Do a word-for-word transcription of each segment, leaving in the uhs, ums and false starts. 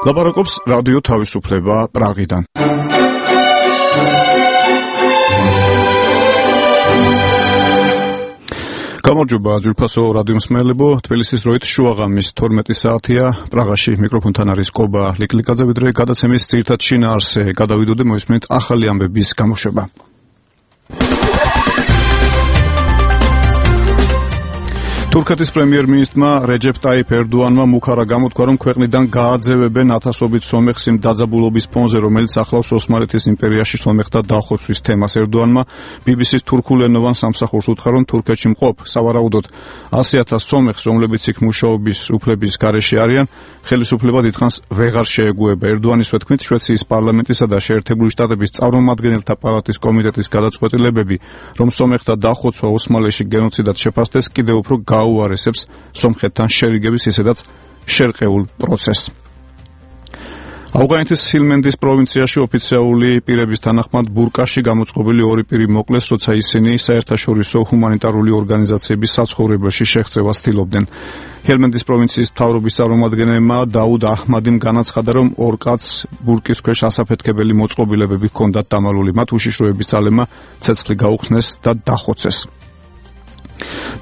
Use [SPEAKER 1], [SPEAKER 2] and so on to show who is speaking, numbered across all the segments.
[SPEAKER 1] ლაპარაკობს რადიო თავისუფლება პრაღიდან. გამარჯობა ძვირფასო რადიო მსმენელებო, თბილისის დროით შუაღამის თორმეტი საათია, პრაღაში მიკროფონთან არის კობა ლიკლიკაძე, ვიდრე გადაცემის ძირითად შინაარსზე გადავიდოდე, მოისმენთ ახალი ამბების გამოშვება. თურქეთის პრემიერ-მინისტრმა რეჯეპ ტაიფ ერდოანმა მუქარა გამოთქვა, რომ ქვეყნიდან გააძევებენ ათასობით სომეხს იმ დაძაბულობის ფონზე, რომელიც ახლავს ოსმალეთის იმპერიაში სომეხთა დახოცვის თემას. ერდოანმა ბი ბი სის თურქულენოვან სამსახურს უთხრა, რომ თურქეთში მყოფ სავარაუდოდ ასი ათას სომეხს, რომლებიც იქ მუშაობის უფლების გარეშე არიან, ხელისუფლება დიდხანს ვეღარ შეეგუება. ერდოანის ვეთქმით, შვეიცარიის პარლამენტისა და შეერთებული შტატების წარმომადგენელთა პალატის კომიტეტის გადაწყვეტილებები, რომ სომეხთა დახოცვა ოსმალეთში გენოციდად შეფასდეს, კიდევ უფრო გაუარესებს სომხეთთან შერიგების ისედაც შერყეულ პროცესს. ავღანეთის ჰილმენდის პროვინციაში ოფიციალური პირების თანახმად ბურკაში გამოწყობილი ორი პირი მოკლეს, როცა ისინი საერთაშორისო ჰუმანიტარული ორგანიზაციების საცხოვრებელში შეღწევას ცდილობდნენ. ჰილმენდის პროვინციის მთავრობის წარმომადგენელმა დაუდ აჰმადიმ განაცხადა, რომ ორ კაცს ბურკის ქვეშ ასაფეთქებელი მოწყობილებები ჰქონდათ დამალული. მათ უშიშროების ძალებმა ცეცხლი გაუხსნეს და დახოცეს.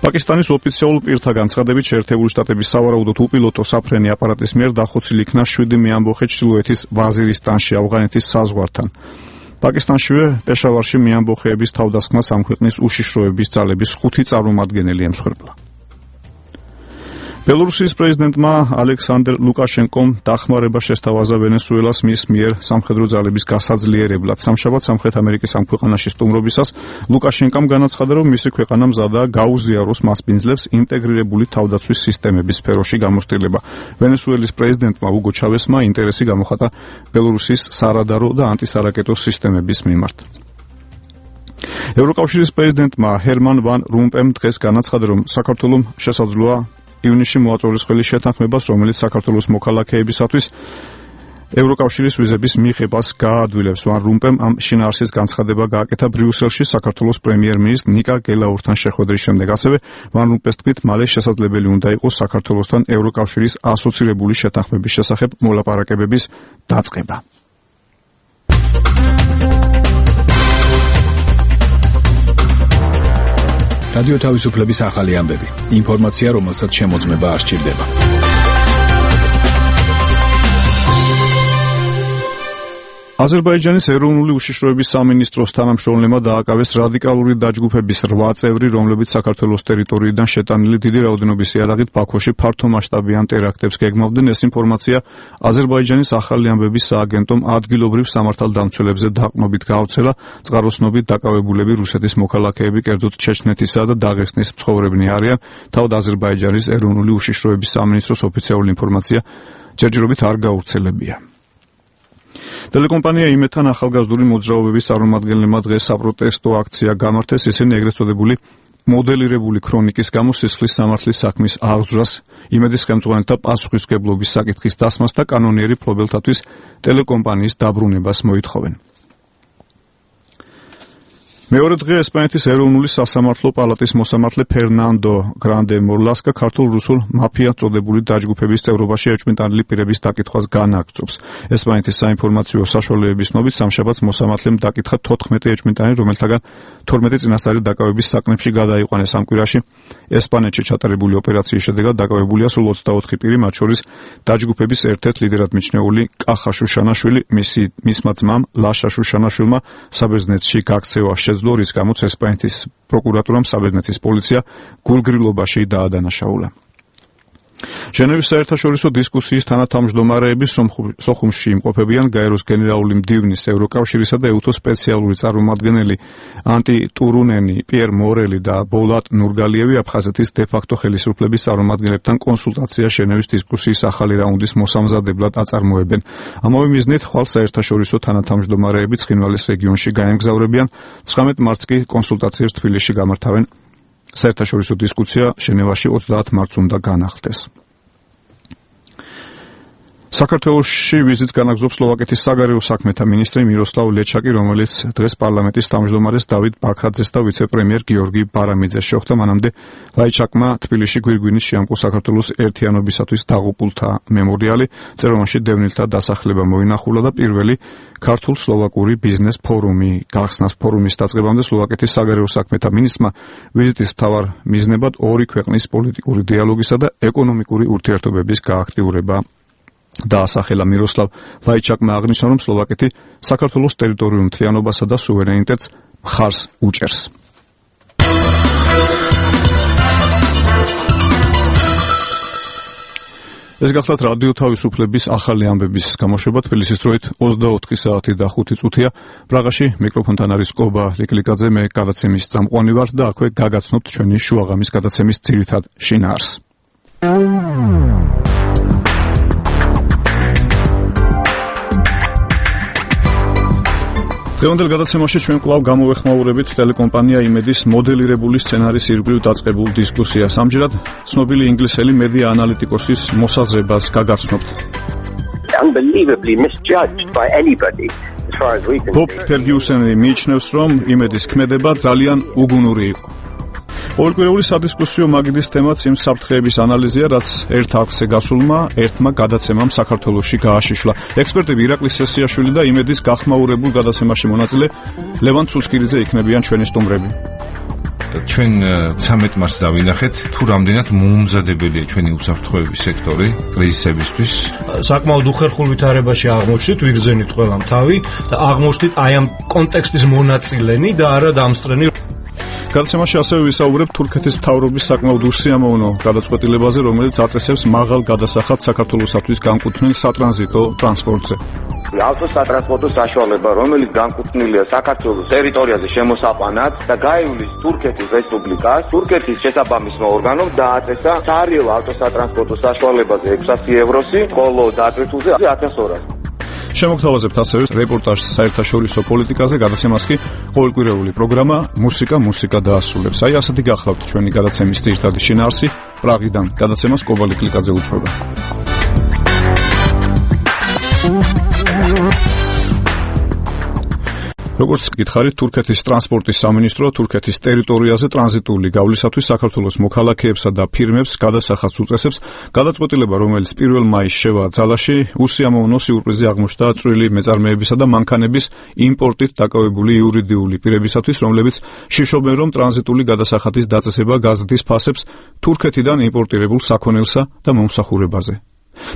[SPEAKER 1] პაკისტანის ოფიციალურ პირთა განცხადებით, შეერთებული შტატების სავარაუდოდ უპილოტო საფრენი აპარატის მიერ დახოცილი იქნა შვიდი მეამბოხე ჩრდილოეთის ვაზირისტანში, ავღანეთის საზღვართან. პაკისტანშივე პეშავარში მეამბოხეების თავდასხმას ამ ქვეყნის უშიშროების ძალების ხუთი წარმომადგენელი ემსხვერპლა. ბელორუსიის პრეზიდენტმა ალექსანდრ ლუკაშენკომ დახმარება შესთავაზა ვენესუელას მის მიერ სამხედრო ძალების გასაძლიერებლად. სამშაბათ სამხრეთ ამერიკის ამ ქვეყანაში სტუმრობისას ლუკაშენკომ განაცხადა, რომ მისი ქვეყანა მზადაა გაუზიაროს მასპინძლებს ინტეგრირებული თავდაცვის სისტემების სფეროში გამოცდილება. ვენესუელის პრეზიდენტმა უგო ჩავესმა ინტერესი გამოხატა ბელორუსის სარადარო და ანტისარაკეტო სისტემების მიმართ. ევროკავშირის პრეზიდენტმა ჰერმან ვან რომპემ დღეს განაცხადა, რომ საქართველომ შესაძლოა ივნისში მოაწოდოს შეთანხმებას, რომელიც საქართველოს მოქალაქეებისათვის ევროკავშირის ვიზების მიღებას გაადვილებს. ვან რომპემ ამ შინაარსის განცხადება გააკეთა ბრიუსელში საქართველოს პრემიერ-მინისტრ ნიკა გელაურთან შეხვედრის შემდეგ. ასევე ვან რომპეს თქმით, მალე შესაძლებელი უნდა იყოს საქართველოსთან ევროკავშირის ასოცირებული შეთანხმების შესახებ მოლაპარაკებების დაწყება.
[SPEAKER 2] რადიო თავისუფლების ახალი ამბები. ინფორმაცია, რომელსაც შემოწმება არ სჭირდება.
[SPEAKER 1] აზერბაიჯანის ეროვნული უშიშროების სამინისტროს თანამშრომლებმა დააკავეს რადიკალური დაჯგუფების რვა წევრი, რომლებიც საქართველოს ტერიტორიიდან შეტანილი დიდი რაოდენობის იარაღით ბაქოში ფართომასშტაბიან ტერაქტებს გეგმავდნენ. ეს ინფორმაცია აზერბაიჯანის ახალი ამბების სააგენტომ ადგილობრივ სამართალდამცველებზე დაყრდნობით გაავრცელა. წყაროსნობით დაკავებულები რუსეთის მოქალაქეები, კერძოდ ჩეჩნეთისა და დაღესტნის მცხოვრებნი არიან. თავად აზერბაიჯანის ეროვნული უშიშროების სამინისტროს ოფიციალური ინფორმაცია ჯერჯერობით არ გაავრცელებია. ტელეკომპანია იმედთან ახალგაზრდული მოძრაობების წარმომადგენლებმა დღეს საპროტესტო აქცია გამართეს. ისინი ეგრეთ წოდებული მოდელირებული ქრონიკის გამო სისხლის სამართლის საქმის აღძვრას, იმედის ხელმძღვანელთა პასუხისმგებლობის საკითხის დასმას და კანონიერი მფლობელთათვის ტელეკომპანიის დაბრუნებას მოითხოვენ. მეორე დღე ესპანეთის ეროვნული სასამართლო პალატის მოსამართლე ფერნანდო გრანდე მორლასკა ქართულ-რუსულ მაფია წოდებული დაჯგუფების წევრობაში ეჭვმიტანილი პირების დაკითხვას განაგრძობს. ესპანეთის საინფორმაციო საშუალებების ცნობით სამშაბათს მოსამართლემ დაკითხა თოთხმეტი ეჭვმიტანი, რომელთაგან თორმეტი წინასწარი დაკავების საკნებში გადაიყვანეს. ამ კვირაში ესპანეთში ჩატარებული ოპერაციის შედეგად დაკავებულია სულ ოცდაოთხი პირი, მათ შორის დაჯგუფების ერთ-ერთ ლიდერად მიჩნეული კახა შუშანაშვილი, მისი მისმა ძმამ ლაშა შუშანაშვილმა საბერძნეთში გაქცევა შეძლო, რის გამოც ესპანეთის პროკურატურამ საბერძნეთის პოლიცია გულგრილობაში დაადანაშაულა. ჟენევის საერთაშორისო დისკუსიის თანათავმჯდომარეები სოხუმში იმყოფებიან გაეროს გენერალური მდივნის, ევროკავშირისა და ეუთოს სპეციალური წარმომადგენელი ანტი ტურუნენი, პიერ მორელი და ბოლატ ნურგალიევი აფხაზეთის დე-ფაქტო ხელისუფლების წარმომადგენლებთან კონსულტაცია ჟენევის დისკუსიის ახალი რაუნდის მოსამზადებლად აწარმოებენ. ამავე მიზნით ხვალ საერთაშორისო თანათავმჯდომარეები ცხინვალის რეგიონში გაემგზავრებიან. ცხრამეტ მარტს კი კონსულტაციებს თბილისში გამართავენ. საერთაშორისო დისკუსია ჟენევაში ოცდაათ მარტს უნდა განახლდეს. საქართველოში ვიზიტს განაგრძობს სლოვაკეთის საგარეო საქმეთა მინისტრი მიროსლავ ლეჩაკი, რომელიც დღეს პარლამენტის თავმჯდომარეს დავით ბაქრაძეს და ვიცე-პრემიერ გიორგი ბარამიძეს შეხვდა. მანამდე ლაიჩაკმა თბილისში გვირგვინის შეამკო საქართველოს ერთიანობისათვის დაღუპულთა მემორიალი, წერომაში დევნილთა დასახლება მოინახულა და პირველი ქართულ-სლოვაკური ბიზნეს ფორუმი გახსნას. ფორუმის დაწყებამდე სლოვაკეთის საგარეო საქმეთა მინისტრმა ვიზიტის მთავარ მიზნებად ორი ქვეყნის პოლიტიკური დიალოგისა და ეკონომიკური ურთიერთობების გააქტიურება დაასახელა. მიროსლავ ლაიჩაკმა აღნიშნა, რომ სლოვაკეთი საქართველოს ტერიტორიულ მთლიანობასა და სუვერენიტეტს მხარს უჭერს. ეს გახლავთ რადიო თავისუფლების ახალი ამბების გამოშვება. თბილისის დროით ოცდაოთხი საათი და ხუთი წუთია. პრაღაში მიკროფონთან არის კობა ლიკლიკაძე, მე გადაცემის წამყვანი ვარ და აქვე გაგაცნობთ ჩვენი შუაღამის გადაცემის ძირითად შინაარსს. დღევანდელ გადაცემაში ჩვენ კვლავ გამოვეხმაურებით ტელეკომპანია იმედის მოდელირებული სცენარის ირგვლივ დაწყებულ დისკუსიას. ამჯერად ცნობილი ინგლისელი მედია ანალიტიკოსის მოსაზრებას გაგაცნობთ.
[SPEAKER 3] Unbelievably misjudged by anybody as far as we can.
[SPEAKER 1] ბობ ფერგიუსენი მიიჩნევს, რომ იმედის ქმედება ძალიან უგუნური იყო. ყოველკვირეული სადისკუსიო მაგიდის თემაც იმ საფრთხეების ანალიზია, რაც ერთ არხზე გასულმა ერთმა გადაცემამ საქართველოში გააშიშლა. ექსპერტები ირაკლი სესიაშვილი და იმედის გახმაურებულ გადაცემაში მონაწილე ლევან ცუცკირიძე იქნებიან ჩვენი სტუმრები.
[SPEAKER 4] ჩვენ ცამეტ მარტს დავინახეთ, თუ რამდენად მოუმზადებელია ჩვენი უსაფრთხოების სექტორი კრიზისებისთვის.
[SPEAKER 5] საკმაოდ უხერხულ ვითარებაში აღმოჩნდით, ვიგრძენით ყველამ თავი და აღმოჩნდით აი ამ კონტექსტის მონაწილენი და არა დამსწრენი.
[SPEAKER 1] გადაცემაში ასევე ვისაუბრებთ თურქეთის მთავრობის საკმაოდ უსიამოვნო გადაწყვეტილებაზე, რომელიც აწესებს მაღალ გადასახადს საქართველოსათვის განკუთვნილ სატრანზიტო ტრანსპორტზე.
[SPEAKER 6] ავტოსატრანსპორტო საშუალება, რომელიც განკუთვნილია საქართველოს ტერიტორიაზე შემოსაყვანად და გაივლის თურქეთის რესპუბლიკას, თურქეთის შესაბამისმა ორგანომ დააწესა სარიელ ავტოსატრანსპორტო საშუალებაზე ექვსასი ევროსი, ხოლო დატვირთულზე ათას ორასი.
[SPEAKER 1] შემოგთავაზებთ ასევე რეპორტაჟს საერთაშორისო პოლიტიკაზე, გადაცემას კი ყოველკვირეული პროგრამა მუსიკა მუსიკა დაასრულებს. აი ასეთი გახლავთ ჩვენი გადაცემის ძირითადი შინაარსი. პრაღიდან გადაცემას კობა ლიკლიკაძე უძღვება. როგორც გითხარით, თურქეთის ტრანსპორტის სამინისტრო თურქეთის ტერიტორიაზე ტრანზიტული გავლისათვის საქართველოს მოქალაქეებსა და ფირმებს გადასახადს უწესებს. გადაწყვეტილება, რომელიც პირველ მაისს შევა ძალაში, უსიამოვნო სიურპრიზი აღმოჩნდა წვრილი მეწარმეებისა და მანქანების იმპორტით დაკავებული იურიდიული პირებისათვის, რომლებიც შიშობენ, რომ ტრანზიტული გადასახადის დაწესება გაზრდის ფასებს თურქეთიდან იმპორტირებულ საქონელსა და მომსახურებაზე.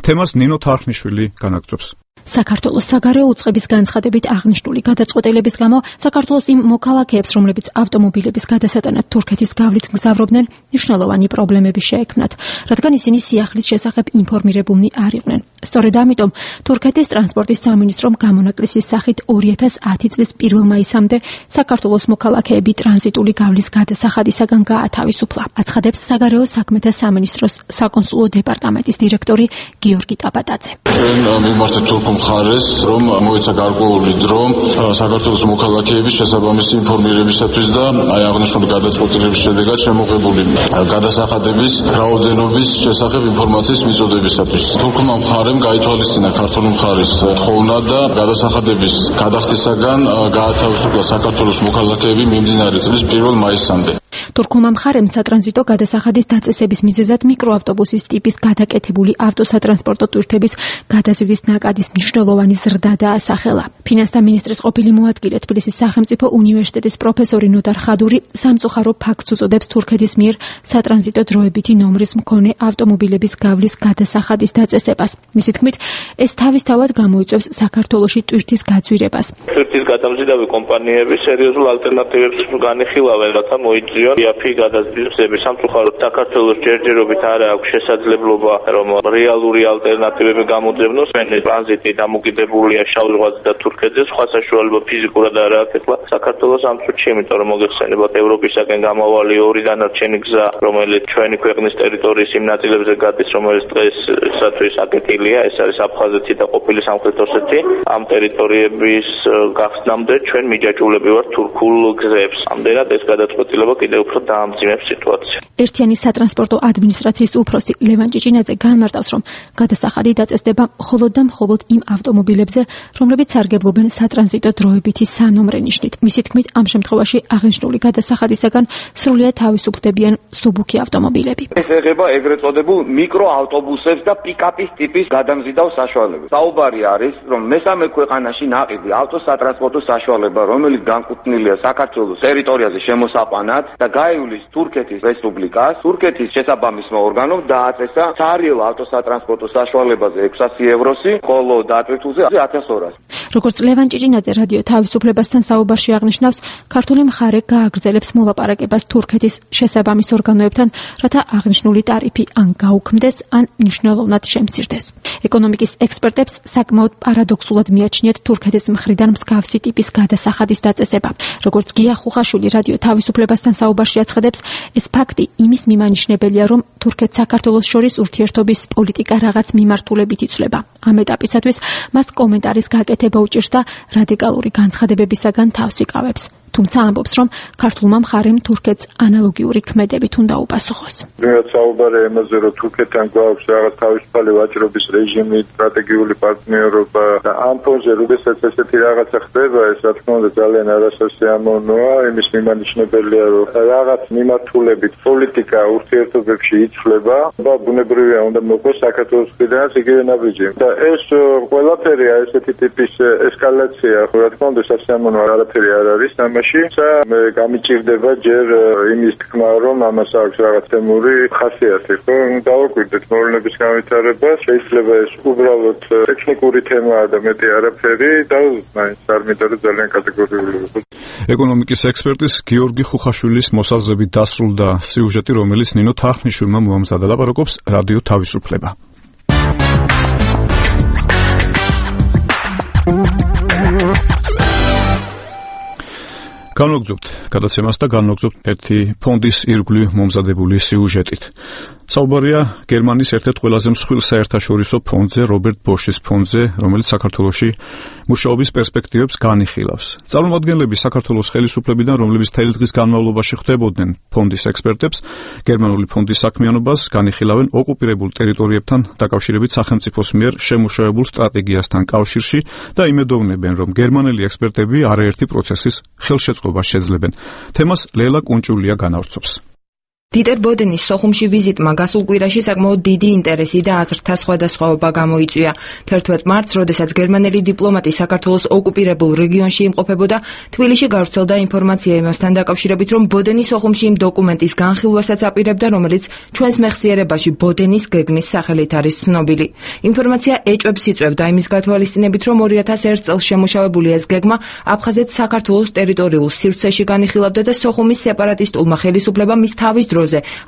[SPEAKER 1] თემას ნინო თარხნიშვილი განაგრძობს.
[SPEAKER 7] საქართველოს საგარეო უწყების განცხადებით აღნიშნული გადაწყვეტილების გამო საქართველოს იმ მოქალაქეებს, რომლებიც ავტომობილების გადასატანად თურქეთის გავლით მგზავრობდნენ, მნიშვნელოვანი პრობლემები შეექმნათ, რადგან ისინი სიახლის შესახებ ინფორმირებულნი არ იყვნენ. სწორედ ამიტომ თურქეთის ტრანსპორტის სამინისტრომ გამონაკლისის სახით ორი ათას ათი წლის პირველ მაისამდე საქართველოს მოქალაქეები ტრანზიტული გავლის გადასახადისაგან გაათავისუფლა. აცხადებს საგარეო საქმეთა სამინისტროს საკონსულო დეპარტამენტის დირექტორი გიორგი ტაბატაძე.
[SPEAKER 8] მხარეს, რომ მოეცა გარკვეული დრო საქართველოს მოქალაქეების შესაბამისი ინფორმირებისათვის და აი აღნიშნული გადაწყვეტილების შედეგად შემოღებული გადასახადების რაოდენობის შესახებ ინფორმაციის მიწოდებისათვის. თურქმა მხარემ გაითვალისწინა ქართული მხარის თხოვნა და გადასახადების გადახდისაგან გაათავისუფლა საქართველოს მოქალაქეები მიმდინარე წლის პირველ მაისამდე.
[SPEAKER 7] თურქულმა მხარემ სატრანზიტო გადასახადის დაწესების მიზეზად მიკროავტობუსის ტიპის გადაკეთებული ავტოსატრანსპორტო ტვირთების გადაზიდვის ნაკადის მნიშვნელოვანი ზრდა დაასახელა. ფინანსთა მინისტრის ყოფილი მოადგილე თბილისის სახელმწიფო უნივერსიტეტის პროფესორი ნოდარ ხადური სამწუხარო ფაქტს უწოდებს თურქეთის მიერ სატრანზიტო დროებითი ნომრის მქონე ავტომობილების გავლის გადასახადის დაწესებას. მისი თქმით, ეს თავისთავად გამოიწვევს საქართველოში ტვირთის გაძვირებას.
[SPEAKER 9] ტვირთის გადამზიდავი კომპანიები სერიოზულ ალტერნატივებს განიხილავენ, რათა მოიწვიონ იაფი გადაზიდვების. სამწუხაროდ საქართველოს ჯერჯერობით არ აქვს შესაძლებლობა, რომ რეალური ალტერნატივები გამოძებნოს. ტრანზიტი დამოკიდებულია შავ ზღვაზე და თურქეთზე, სხვა საშუალება ფიზიკურად არ აქვს ეხლა საქართველოს ამ წუთში, იმიტომ რომ მოგეხსენებათ ევროპისაკენ გამავალი ორი დანარჩენი გზა, რომელიც ჩვენი ქვეყნის ტერიტორიის იმ ნაწილებზე გადის, რომელიც დღესაც აკეტილია, ეს არის აფხაზეთი და ყოფილი სამხრეთ ოსეთი. ამ ტერიტორიების გახსნამდე ჩვენ მიჯაჭვულები ვართ თურქულ გზებს. ამდენად ეს გადაწყვეტილება კიდევ უფრო უფრო დაამძიმებს სიტუაცია.
[SPEAKER 7] ერთიანი სატრანსპორტო ადმინისტრაციის უფროსი ლევან ჭიჭინაძე განმარტავს, რომ გადასახადი დაწესდება მხოლოდ და მხოლოდ იმ ავტომობილებზე, რომლებიც სარგებლობენ სატრანზიტო დროებითი სანომრე ნიშნით. მისი თქმით, ამ შემთხვევაში აღნიშნული გადასახადისაგან სრულიად თავისუფლდებიან მსუბუქი ავტომობილები.
[SPEAKER 6] ეს ეხება ეგრეთ წოდებულ მიკროავტობუსებს და პიკაპის ტიპის გადამზიდავ საშუალებებს. საუბარი არის, რომ მესამე ქვეყანაში ნაყიდი ავტოსატრანსპორტო საშუალება, რომელიც განკუთვნილია საქართველოს ტერიტორიაზე შემოსაყვანად და გაივლის თურქეთის რესპუბლიკას, თურქეთის შესაბამისმა ორგანომ დააწესა სარიელ ავტოსატრანსპორტო საშუალებაზე ექვსასი ევროსი, ხოლო დატვირთულზე ათას ორასი.
[SPEAKER 7] როგორც ლევან ჭიჭინაძე რადიო თავისუფლებასთან საუბარში აღნიშნავს, ქართული მხარე გააგრძელებს მოლაპარაკებას თურქეთის შესაბამის ორგანოებთან, რათა აღნიშნული ტარიფი ან გაუქმდეს, ან მნიშვნელოვნად შემცირდეს. ეკონომიკის ექსპერტებს საკმაოდ პარადოქსულად მიაჩნიათ თურქეთის მხრიდან მსგავსი ტიპის გადასახადის დაწესება. როგორც გია ხუხაშვილი რადიო თავისუფლებასთან საუბარში აცხადებს, ეს ფაქტი იმის მიმანიშნებელია, რომ თურქეთს საქართველოს შორის ურთიერთობის პოლიტიკა რაღაც მიმართულებით იცვლება. ამ ეტაპისათვის მას კომენტარის გაკეთება უჭირს და რადიკალური განცხადებებისაგან თავს იკავებს. თუმცა ამბობს, რომ ქართულმა მხარემ თურქეთს ანალოგიური ქმედებით უნდა უპასუხოს.
[SPEAKER 10] რაც საუბარი იმაზე, რომ თურქეთთან გვაქვს რაღაც თავისუფალი ვაჭრობის რეჟიმი, სტრატეგიული პარტნიორობა და ამ ფონზე როდესაც ესეთი რაღაცა ხდება, ეს რა თქმა უნდა ძალიან არასასიამოვნოა, იმის მიმანიშნებელია, რომ რაღაც მიმართულებით პოლიტიკა ურთიერთობებში იცვლება და ბუნებრივია უნდა მოყოს საქართველოს მხრიდანაც იგივე ნაბიჯი. და ეს ყველაფერია ესეთი ტიპის ესკალაცია, რა თქმა უნდა სასიამოვნო არაფერი არ არის ამაში. მე გამიჭირდება ჯერ იმის თქმა, რომ ამას აქვს რაღაც თემური ხასიათი, ხო? დავაკვირდეთ მოვლენების განვითარება, შეიძლება ეს უბრალოდ ტექნიკური თემაა და მეტი არაფერი და მაინც არ მინდა რომ ძალიან კატეგორიული ვიყო.
[SPEAKER 1] ეკონომიკის ექსპერტის გიორგი ხუხაშვილის მოსაზრებით დასრულდა სიუჟეტი, რომელიც ნინო თახნიშვილმა მოამზადა. ლაპარაკობს რადიო თავისუფლება. განვაგრძობთ გადაცემას და განვაგრძობთ ერთი ფონდის ირგვლივ მომზადებული სიუჟეტით. საუბარია გერმანიის ერთ-ერთ ყველაზე მსხვილ საერთაშორისო ფონდზე, რობერტ ბოშის ფონდზე, რომელიც საქართველოში მუშაობის პერსპექტივებს განიხილავს. წარმომადგენლები საქართველოს ხელისუფლებიდან, რომლებიც მთელი დღის განმავლობაში ხვდებოდნენ ფონდის ექსპერტებს, გერმანული ფონდის საქმიანობას განიხილავენ ოკუპირებულ ტერიტორიებთან დაკავშირებით სახელმწიფოს მიერ შემუშავებულ სტრატეგიასთან კავშირში და იმედოვნებენ, რომ გერმანელი ექსპერტები არაერთი პროცესის ხელშეწყობას შეძლებენ. თემას ლელა კუნჭულია განავრცობს.
[SPEAKER 11] დიტერ ბოდენის სოხუმში ვიზიტმა გასულ კვირაში საკმაოდ დიდი ინტერესი და აზრთა სხვადასხვაობა გამოიწვია. თერთმეტ მარტს, როდესაც გერმანელი დიპლომატი საქართველოს ოკუპირებულ რეგიონში იმყოფებოდა, თბილისში გავრცელდა ინფორმაცია იმასთან დაკავშირებით, რომ ბოდენი სოხუმში იმ დოკუმენტის განხილვასაც აპირებდა, რომელიც ჩვენს მეხსიერებაში ბოდენის გეგმის სახელით არის ცნობილი. ინფორმაცია ეჭვებს იწვევდა იმის გათვალისწინებით, რომ ორი ათას ერთ წელს შემუშავებული ეს გეგმა აფხაზეთს საქართველოს ტერიტორიულ სივრცეში განიხილავდა და სოხუმის სეპარატისტულმა ხელისუფლებამ მის თავის დროზე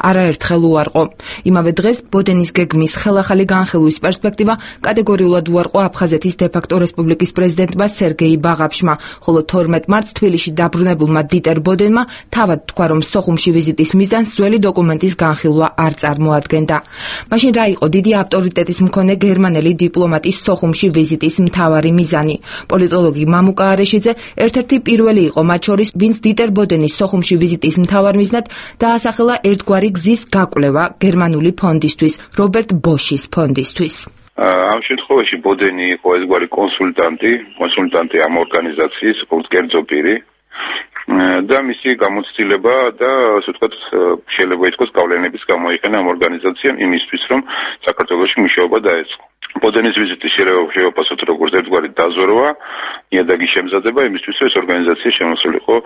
[SPEAKER 11] არაერთხელ უარყო. იმავე დღეს ბოდენის გეგმის ხელახალი განხილვის პერსპექტივა კატეგორიულად უარყო აფხაზეთის დე-ფაქტო რესპუბლიკის პრეზიდენტმა სერგეი ბაღაფშმა, ხოლო თორმეტ მარტს თბილისში დაბრუნებულმა დიტერ ბოდენმა თავად თქვა, რომ სოხუმში ვიზიტის მიზანს ძველი დოკუმენტის განხილვა არ წარმოადგენდა. მაშინ რა იყო დიდი ავტორიტეტის მქონე გერმანელი დიპლომატის სოხუმში ვიზიტის მთავარი მიზანი? პოლიტოლოგი მამუკა არეშიძე ერთ-ერთი პირველი იყო მათ შორის, ვინც დიტერ ბოდენის სოხუმში ვიზიტის მთავარ მიზნად დაასახელა ერთგვარი გზის გაკვლევა გერმანული ფონდისთვის, რობერტ ბოშის ფონდისთვის.
[SPEAKER 12] ამ შემთხვევაში ბოდენი იყო ერთგვარი კონსულტანტი, კონსულტანტი ამ ორგანიზაციის, კერძო პირი და მისი გამოცდილება და ასე ვთქვათ, შეიძლება ითქვას გავლენების გამოიყენა ამ ორგანიზაციამ იმისთვის, რომ საქართველოში მუშაობა დაეწყო. ბოდენის ვიზიტი შეიძლება ვფასოთ როგორც ერთგვარი დაზორვა, ნიადაგის შემზადება იმისთვის, რომ ეს ორგანიზაცია შემოსულიყო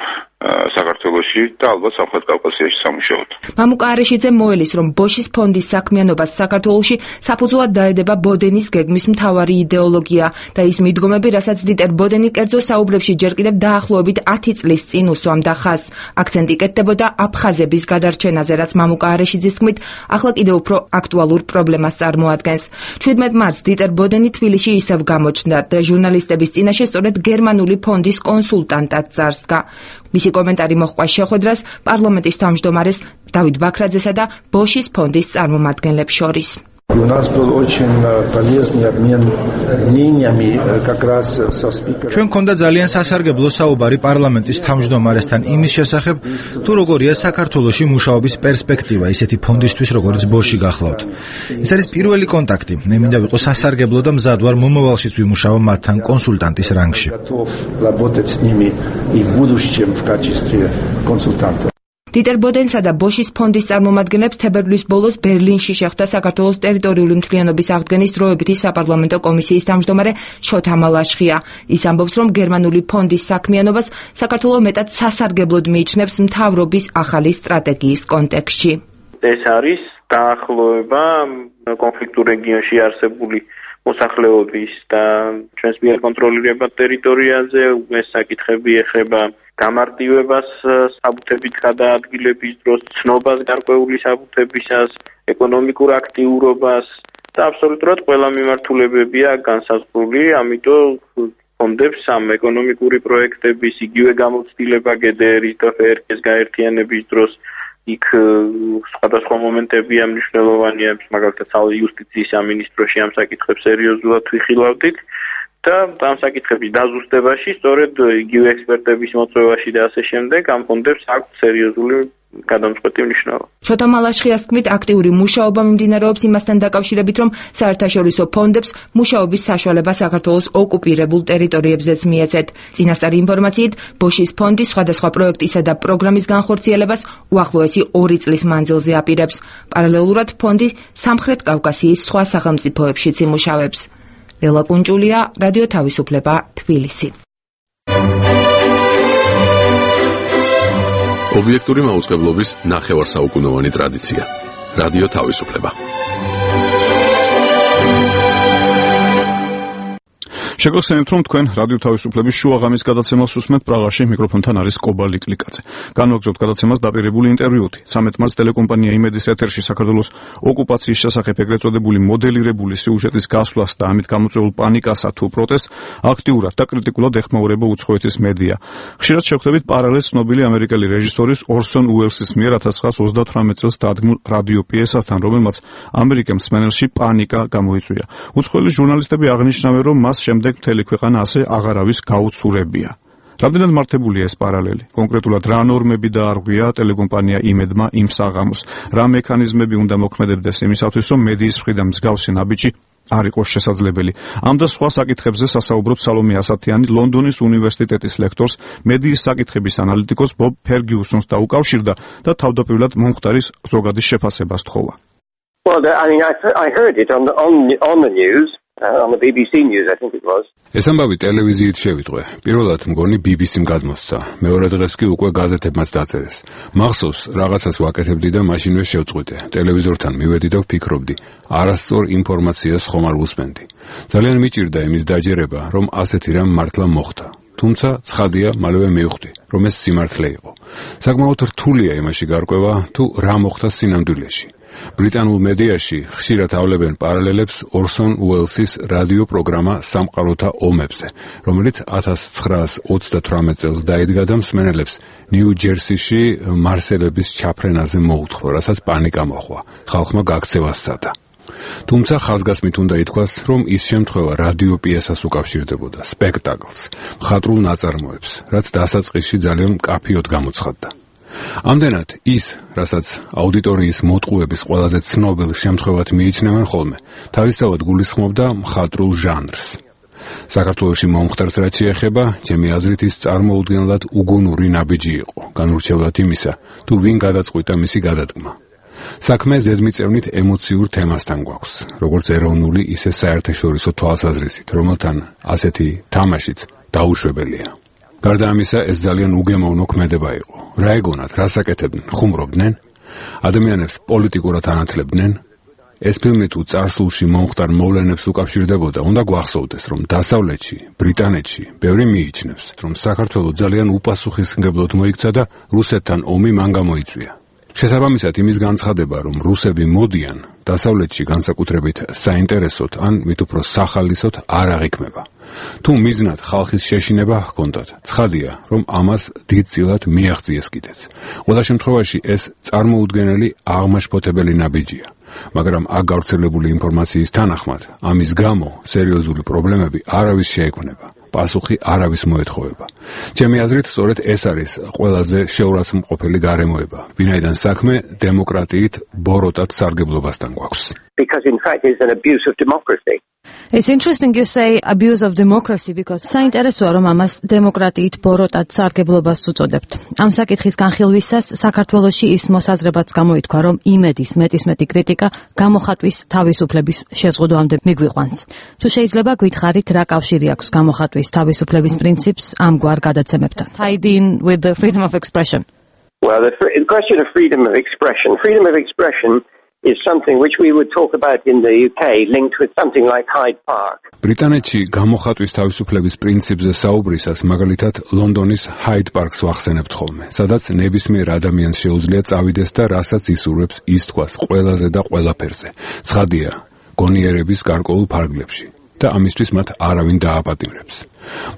[SPEAKER 12] საქართველოში და ალბათ სამხრეთ კავკასიაში სამუშაოდ.
[SPEAKER 11] მამუკა არეშიძე მოელის, რომ ბოშის ფონდის საქმიანობას საქართველოში საფუძვლად დაედება ბოდენის გეგმის მთავარი იდეოლოგია და ის მიდგომები, რასაც დიტერ ბოდენი კერძო საუბრებში ჯერ კიდევ დაახლოებით ათი წლის წინ უსვამდა ხაზს. აქცენტი კეთდებოდა აფხაზების გადარჩენაზე, რაც მამუკა არეშიძის თქმით, ახლა კიდევ უფრო აქტუალურ პრობლემას წარმოადგენს. შვიდმეტ მარტს დიტერ ბოდენი თბილისში ისევ გამოჩნდა და ჟურნალისტების წინაშე სწორედ გერმანული ფონდის კონსულტანტად წარსდგა. მისი კომენტარი მოჰყვა შეხვედრას პარლამენტის თავმჯდომარეს დავით ბაქრაძესა და ბოშის ფონდის წარმომადგენლებს შორის.
[SPEAKER 13] У нас был очень полезный обмен мнениями как раз со спикером.
[SPEAKER 14] ჩვენ ქონდა ძალიან სასარგებლო საუბარი პარლამენტის თავმჯდომარესთან იმის შესახებ, თუ როგორია საქართველოში მუშაობის პერსპექტივა ისეთი ფონდისთვის, როგორც ბოში გახლავთ. ეს არის პირველი კონტაქტი. მე მინდა ვიყო სასარგებლო და მზად ვარ მომავალშიც ვიმუშაო მათთან კონსულტანტის რანგში.
[SPEAKER 13] Работать с ними и в будущем в качестве консультанта.
[SPEAKER 11] დიტერ ბოდენსა და ბოშის ფონდის წარმომადგენლებს თებერვლის ბოლოს ბერლინში შეხვდა საქართველოს ტერიტორიული მთლიანობის აღდგენის დროებითი საპარლამენტო კომისიის თავმჯდომარე შოთა მალაშხია. ის ამბობს, რომ გერმანული ფონდის საქმიანობას საქართველო მეტად სასარგებლოდ მიიჩნევს მთავრობის ახალი სტრატეგიის კონტექსტში.
[SPEAKER 9] ეს არის დაახლოება კონფლიქტურ რეგიონში არსებული მოსახლეობის და ჩვენს მიერ კონტროლირებად ტერიტორიაზე. ეს საკითხები ეხება გამარტივებას საბუთებით გადაადგილების დროს, ცნობას გარკვეული საბუთებისას, ეკონომიკურ აქტიურობას და აბსოლუტურად ყველა მიმართულებებია განსაზღვრული, ამიტომ ფონდებს ამ ეკონომიკური პროექტების იგივე გამოცდილება გედერის და ფერკეს გაერთიანების დროს იქ სხვადასხვა მომენტებია მნიშვნელოვანია, მაგალითად იუსტიციის სამინისტროში ამ საკითხებს სერიოზულად ვიხილავდით. და ამ საკითხების დაზუსტებაში, სწორედ იგივე ექსპერტების მოწვევაში და ასე შემდეგ, ამ ფონდებს აქვს სერიოზული გადამწყვეტი მნიშვნელობა.
[SPEAKER 11] შოთა მალაშხიას თქმით, აქტიური მუშაობა მიმდინარეობს იმასთან დაკავშირებით, რომ საერთაშორისო ფონდებს მუშაობის საშუალება საქართველოს ოკუპირებულ ტერიტორიებზეც მიეცეთ. წინასწარი ინფორმაციით, ბოშის ფონდი სხვადასხვა პროექტისა და პროგრამის განხორციელებას უახლოესი ორი წლის მანძილზე აპირებს. პარალელურად ფონდი სამხრეთ კავკასიის სხვა სახელმწიფოებშიც იმუშავებს. ელა კუნჭულია, რადიო თავისუფლება, თბილისი.
[SPEAKER 15] ობიექტური მაუწყებლობის ნახევარსაუკუნოვანი ტრადიცია. რადიო თავისუფლება.
[SPEAKER 1] შეგახსენებთ, რომ თქვენ რადიო თავისუფლების შუაღამის გადაცემას უსმენთ პრაღაში, მიკროფონთან არის კობალი კლიკაძე. განვაგრძობთ გადაცემას დაპირებული ინტერვიუთი. ცამეტ მარტს ტელეკომპანია იმედის ეთერში საქართველოს ოკუპაციის შესახებ ეგრეთ წოდებული მოდელირებული სიუჟეტის გასვლას და ამით გამოწვეულ პანიკასა თუ პროტესტს აქტიურად და კრიტიკულად ეხმაურება უცხოეთის მედია. ხშირად შევხვდებით პარალელს ცნობილი ამერიკელი რეჟისორის ორსონ უელსის მიერ ათას ცხრაას ოცდათვრამეტ წელს დადგმულ რადიო პიესასთან, რომელმაც ამერიკელ მსმენელში პანიკა გამოიწვია. უცხოელი ჟურნალისტები აღნიშნავენ, რომ მას შემდეგ მთელი ქვეყანა ასე აღარავის გაუცურებია. რამდენად მართებულია ეს პარალელი? კონკრეტულად რა ნორმები დაარღვია ტელეკომპანია იმედმა იმ საღამოს? რა მექანიზმები უნდა მოქმედებდეს იმისათვის, რომ მედიის მხრიდან მსგავსი ნაბიჯი არ იყოს შესაძლებელი? ამ და სხვა საკითხებზე სასაუბროთ სალომე ასათიანი, ლონდონის უნივერსიტეტის ლექტორს, მედიის საკითხების ანალიტიკოს ბობ ფერგიუსონს დაუკავშირდა და თავდაპირველად მომხდარის ზოგადის შეფასებას თხოვა.
[SPEAKER 3] Well, I mean, I, I heard it on the, on, on the news. Uh, on the B B C News, I think it was.
[SPEAKER 16] ეს ამბავი ტელევიზიით შევიტყვე. პირველად მგონი B B C-მ გადმოსცა. მეორე დღეს კი უკვე გაზეთებმაც დაწერეს. მახსოვს, რაღაცას ვაკეთებდი და მაშინვე შევწყვიტე. ტელევიზორთან მივედი და ვფიქრობდი, არასწორ ინფორმაციას ხომ არ ვუსმენდი. ძალიან მიჭირდა იმის დაჯერება, რომ ასეთი რამ მართლა მოხდა. თუმცა ცხადია, მალევე მივხვდი, რომ ეს სიმართლე იყო. საკმაოდ რთულია იმაში გარკვევა, თუ რა მოხდა სინამდვილეში. ბრიტანულ მედიაში ხშირად ავლებენ პარალელებს ორსონ უელსის რადიო პროგრამა სამყაროთა ომებზე, რომელიც ათას ცხრაას ოცდათვრამეტ წელს დაიდგა და მსმენელებს ნიუ-ჯერსიში მარსელების ჩაფრენაზე მოუთხო, რასაც პანიკა მოჰყვა. ხალხმა გაქცევა სცადა. თუმცა ხაზგასმით უნდა ითქვას, რომ ის შემთხვევა რადიო პიესას უკავშირდებოდა, სპექტაკლს, მხატვრულ ნაწარმოებს, რაც დასაწყისში ძალიან მკაფიოდ გამოცხადდა. ამდენად ის, რასაც აუდიტორიის მოტყუების ყველაზე ცნობილ შემთხვევად მიიჩნევენ ხოლმე, თავისთავად გულისხმობდა მხატვრულ ჟანრს. საქართველოში მომხდარს რაც შეეხება, ჩემი აზრით ის წარმოუდგენლად უგუნური ნაბიჯი იყო, განურჩევლად იმისა, თუ ვინ გადაწყვიტა მისი გადადგმა. საქმე ზედმიწევნით ემოციურ თემასთან გვაქვს, როგორც ეროვნული, ისე საერთაშორისო თვალსაზრისით, რომელთან ასეთი თამაშიც დაუშვებელია. გარდა ამისა, ეს ძალიან უგემოვნო ქმედება იყო. რა ეგონათ, რას აკეთებდნენ, ხუმრობდნენ? ადამიანებს პოლიტიკურად ანათლებდნენ? ეს ფილმი თუ წარსულში მომხდარ მოვლენებს უკავშირდებოდა, უნდა გვახსოვდეს, რომ დასავლეთში, ბრიტანეთში ბევრი მიიჩნევს, რომ საქართველო ძალიან უპასუხისმგებლოდ მოიქცა და რუსეთთან ომი მან გამოიწვია. შესაბამისად იმის განცხადება, რომ რუსები მოდიან დასავლეთში განსაკუთრებით საინტერესოდ ან მით უფრო სახალისოდ არ აღიქმება. თუ მიზნად ხალხის შეშინება ჰქონდათ, ცხადია, რომ ამას დიდწილად მიაღწიეს კიდეც. ყველა შემთხვევაში ეს წარმოუდგენელი აღმაშფოთებელი ნაბიჯია. მაგრამ აქ გავრცელებული ინფორმაციის თანახმად, ამის გამო სერიოზული პრობლემები არავის შეექმნება. პასუხი არავის მოეთხოვება. ჩემი აზრით, სწორედ ეს არის ყველაზე შეურაცხმყოფელი გარემოება, ვინაიდან საქმე დემოკრატიით ბოროტად სარგებლობასთან გვაქვს.
[SPEAKER 3] Because in fact it's an abuse of democracy.
[SPEAKER 17] It's interesting you say abuse of democracy because საინტერესოა რომ ამას დემოკრატიით ბოროტად სარგებლობას უწოდებთ. ამ საკითხის განხილვისას საქართველოში ის მოსაზრებაც გამოითქვა, რომ იმედის მეტისმეტი კრიტიკა გამოხატვის თავისუფლების შეზღუდვამდე მიგვიყვანს. თუ შეიძლება გითხარით, რა კავშირი აქვს გამოხატვის თავისუფლების პრინციპს ამგვარ გადაცემებთან? Tied in with the freedom of expression.
[SPEAKER 3] Well, the, fr- the question of freedom of expression. Freedom of expression is something which we would talk about in the U K linked with something like Hyde Park.
[SPEAKER 16] ბრიტანეთში გამოხატვის თავისუფლების პრინციპზე საუბრისას მაგალითად ლონდონის Hyde Park-ს ვახსენებთ ხოლმე, სადაც ნებისმიერ ადამიანს შეუძლია წავიდეს და რასაც ისურვებს ის თქვას ყველაზე და ყველაფერზე. ცხადია, გონიერების გარკვეულ ფარგლებში და ამისთვის მათ არავინ დააპატიმრებს.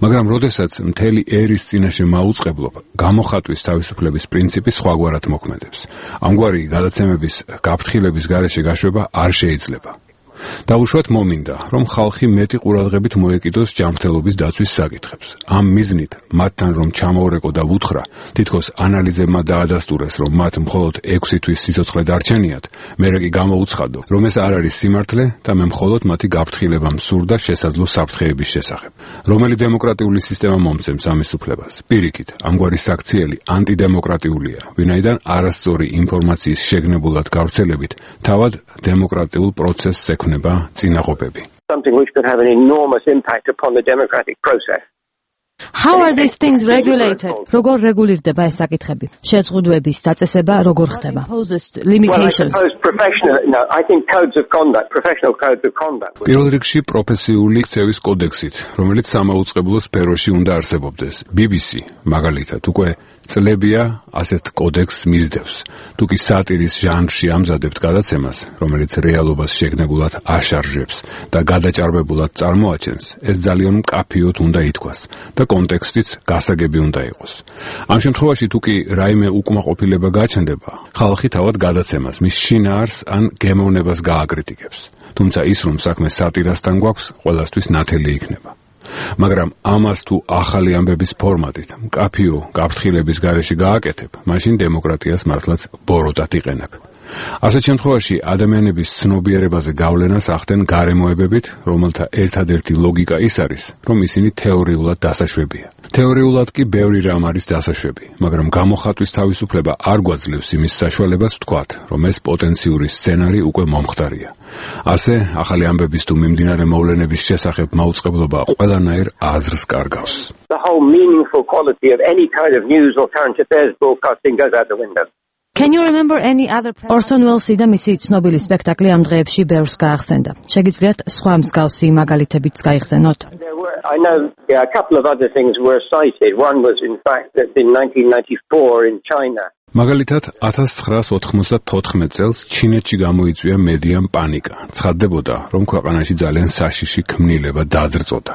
[SPEAKER 16] მაგრამ როდესაც მთელი ერის წინაშე მაუწყებლობ, გამოხატვის თავისუფლების პრინციპი სხვაგვარად მოქმედებს. ამგვარი გადაცემების გაფრთხილების გარეშე გაშვება არ შეიძლება. დაუშვათ მომინდა, რომ ხალხი მეტი ყურადღებით მოეკიდოს ჯანმრთელობის დაცვის საკითხებს. ამ მიზნით მათთან რომ ჩამოურეკო და ვუთხრა, თითქოს ანალიზებმა დაადასტურეს, რომ მათ მხოლოდ ექვსი თვის სიცოცხლე დარჩენიათ, მერე კი გამოუცხადო, რომ ეს არ არის სიმართლე და მე მხოლოდ მათი გაფრთხილება მსურდა შესაძლო საფრთხეების შესახებ. რომელი დემოკრატიული სისტემა მომცემს ამის უფლებას? პირიქით, ამგვარი საქციელი ანტიდემოკრატიულია, ვინაიდან არასწორი ინფორმაციის შეგნებულად გავრცელებით თავად დემოკრატიულ პროცესს ექვნება წინაღობები.
[SPEAKER 3] Something which could have an enormous impact upon the democratic process.
[SPEAKER 17] How are these things regulated? როგორ რეგულირდება ეს საკითხები? შეზღუდვების დაწესება როგორ ხდება? Limitations.
[SPEAKER 3] Well, I suppose professional, no, I think codes of conduct, professional codes of conduct.
[SPEAKER 16] პირველ რიგში პროფესიული ქცევის კოდექსით, რომელიც სამაუწყებლო სფეროში უნდა არსებობდეს. B B C მაგალითად უკვე წლებია ასეთ კოდექსს მისდევს. თუ კი სატირის ჟანრში ამზადებთ გადაცემას, რომელიც რეალობას შეგნებულად აშარჟებს და გადაჭარბებულად წარმოაჩენს, ეს ძალიან მკაფიოდ უნდა ითქვას და კონტექსტიც გასაგები უნდა იყოს. ამ შემთხვევაში თუ კი რაიმე უკმაყოფილება გაჩნდება, ხალხი თავად გადაცემას, მის შინაარს ან გემოვნებას გააკრიტიკებს. თუმცა ის რომ საქმე სატირასთან გვაქვს, ყველასთვის ნათელი იქნება. მაგრამ ამას თუ ახალი ამბების ფორმატით, მკაფიო გაფრთხილების გარეშე გააკეთებ, მაშინ დემოკრატიას მართლაც ბოროტად იყენებ. ასეთ შემთხვევაში ადამიანების ცნობიერებაზე გავლენას ახდენ გარემოებებით, რომელთა ერთადერთი ლოგიკა ის არის, რომ ისინი თეორიულად დასაშვებია. თეორიულად კი ბევრი რამ არის დასაშვები, მაგრამ გამოხატვის თავისუფლება არ გვაძლევს იმის საშუალებას ვთქვათ, რომ ეს პოტენციური სცენარი უკვე მომხდარია. ასე, ახალი ამბების თუ მიმდინარე მოვლენების შესახებ მაუწყებლობა ყველანაირ აზრს კარგავს.
[SPEAKER 3] The whole meaningful quality of any kind of news or current affairs broadcasting goes out the window.
[SPEAKER 17] Can you remember any other Orson Welles-ი და მისი ცნობილი სპექტაკლი ამ დღეებში ბევრს გაახსენდა. შეგიძლიათ სხვა მსგავსი მაგალითებიც გაიხსენოთ?
[SPEAKER 3] There were, I know yeah, a couple of other things were cited. One was in fact that in nineteen ninety-four in China.
[SPEAKER 16] მაგალითად, ათას ცხრაას ოთხმოცდათოთხმეტ წელს ჩინეთში გამოიწვია მედიამ პანიკა. ცხადდებოდა, რომ ქვეყანაში ძალიან საშიში ქმნილება დაძრწოდა.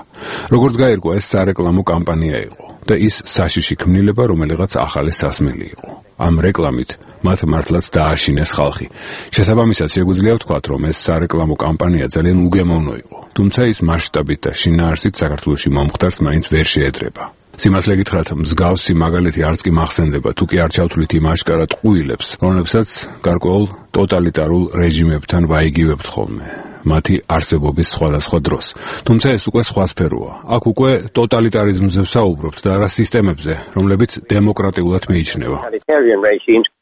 [SPEAKER 16] როგორც გაირკვა, ეს სარეკლამო კამპანია იყო და ის საშიში ქმნილება რომელიღაც ახალი სასმელი იყო. ამ რეკლამით მათ მართლაც დააშინეს ხალხი. შესაბამისად, შეგვიძლია ვთქვათ, რომ ეს სარეკლამო კამპანია ძალიან უგემოვნო იყო, თუმცა ის მასშტაბით და შინაარსით საქართველოში მომხდარს მაინც ვერ შეედრება. სიმართლე გითხრათ, მსგავსი მაგალითი არც კი მახსენდება, თუ კი არ ჩავთვლით იმ აშკარად ყუილებს, რომლებსაც გარკვეულ ტოტალიტარულ რეჟიმებთან ვაიგივებთ ხოლმე. მათი არსებობის სხვადასხვა დროს. თუმცა ეს უკვე სხვა სფეროა. აქ უკვე ტოტალიტარიზმზე ვსაუბრობთ და არა სისტემებზე, რომლებიც დემოკრატიულად მიიჩნევა.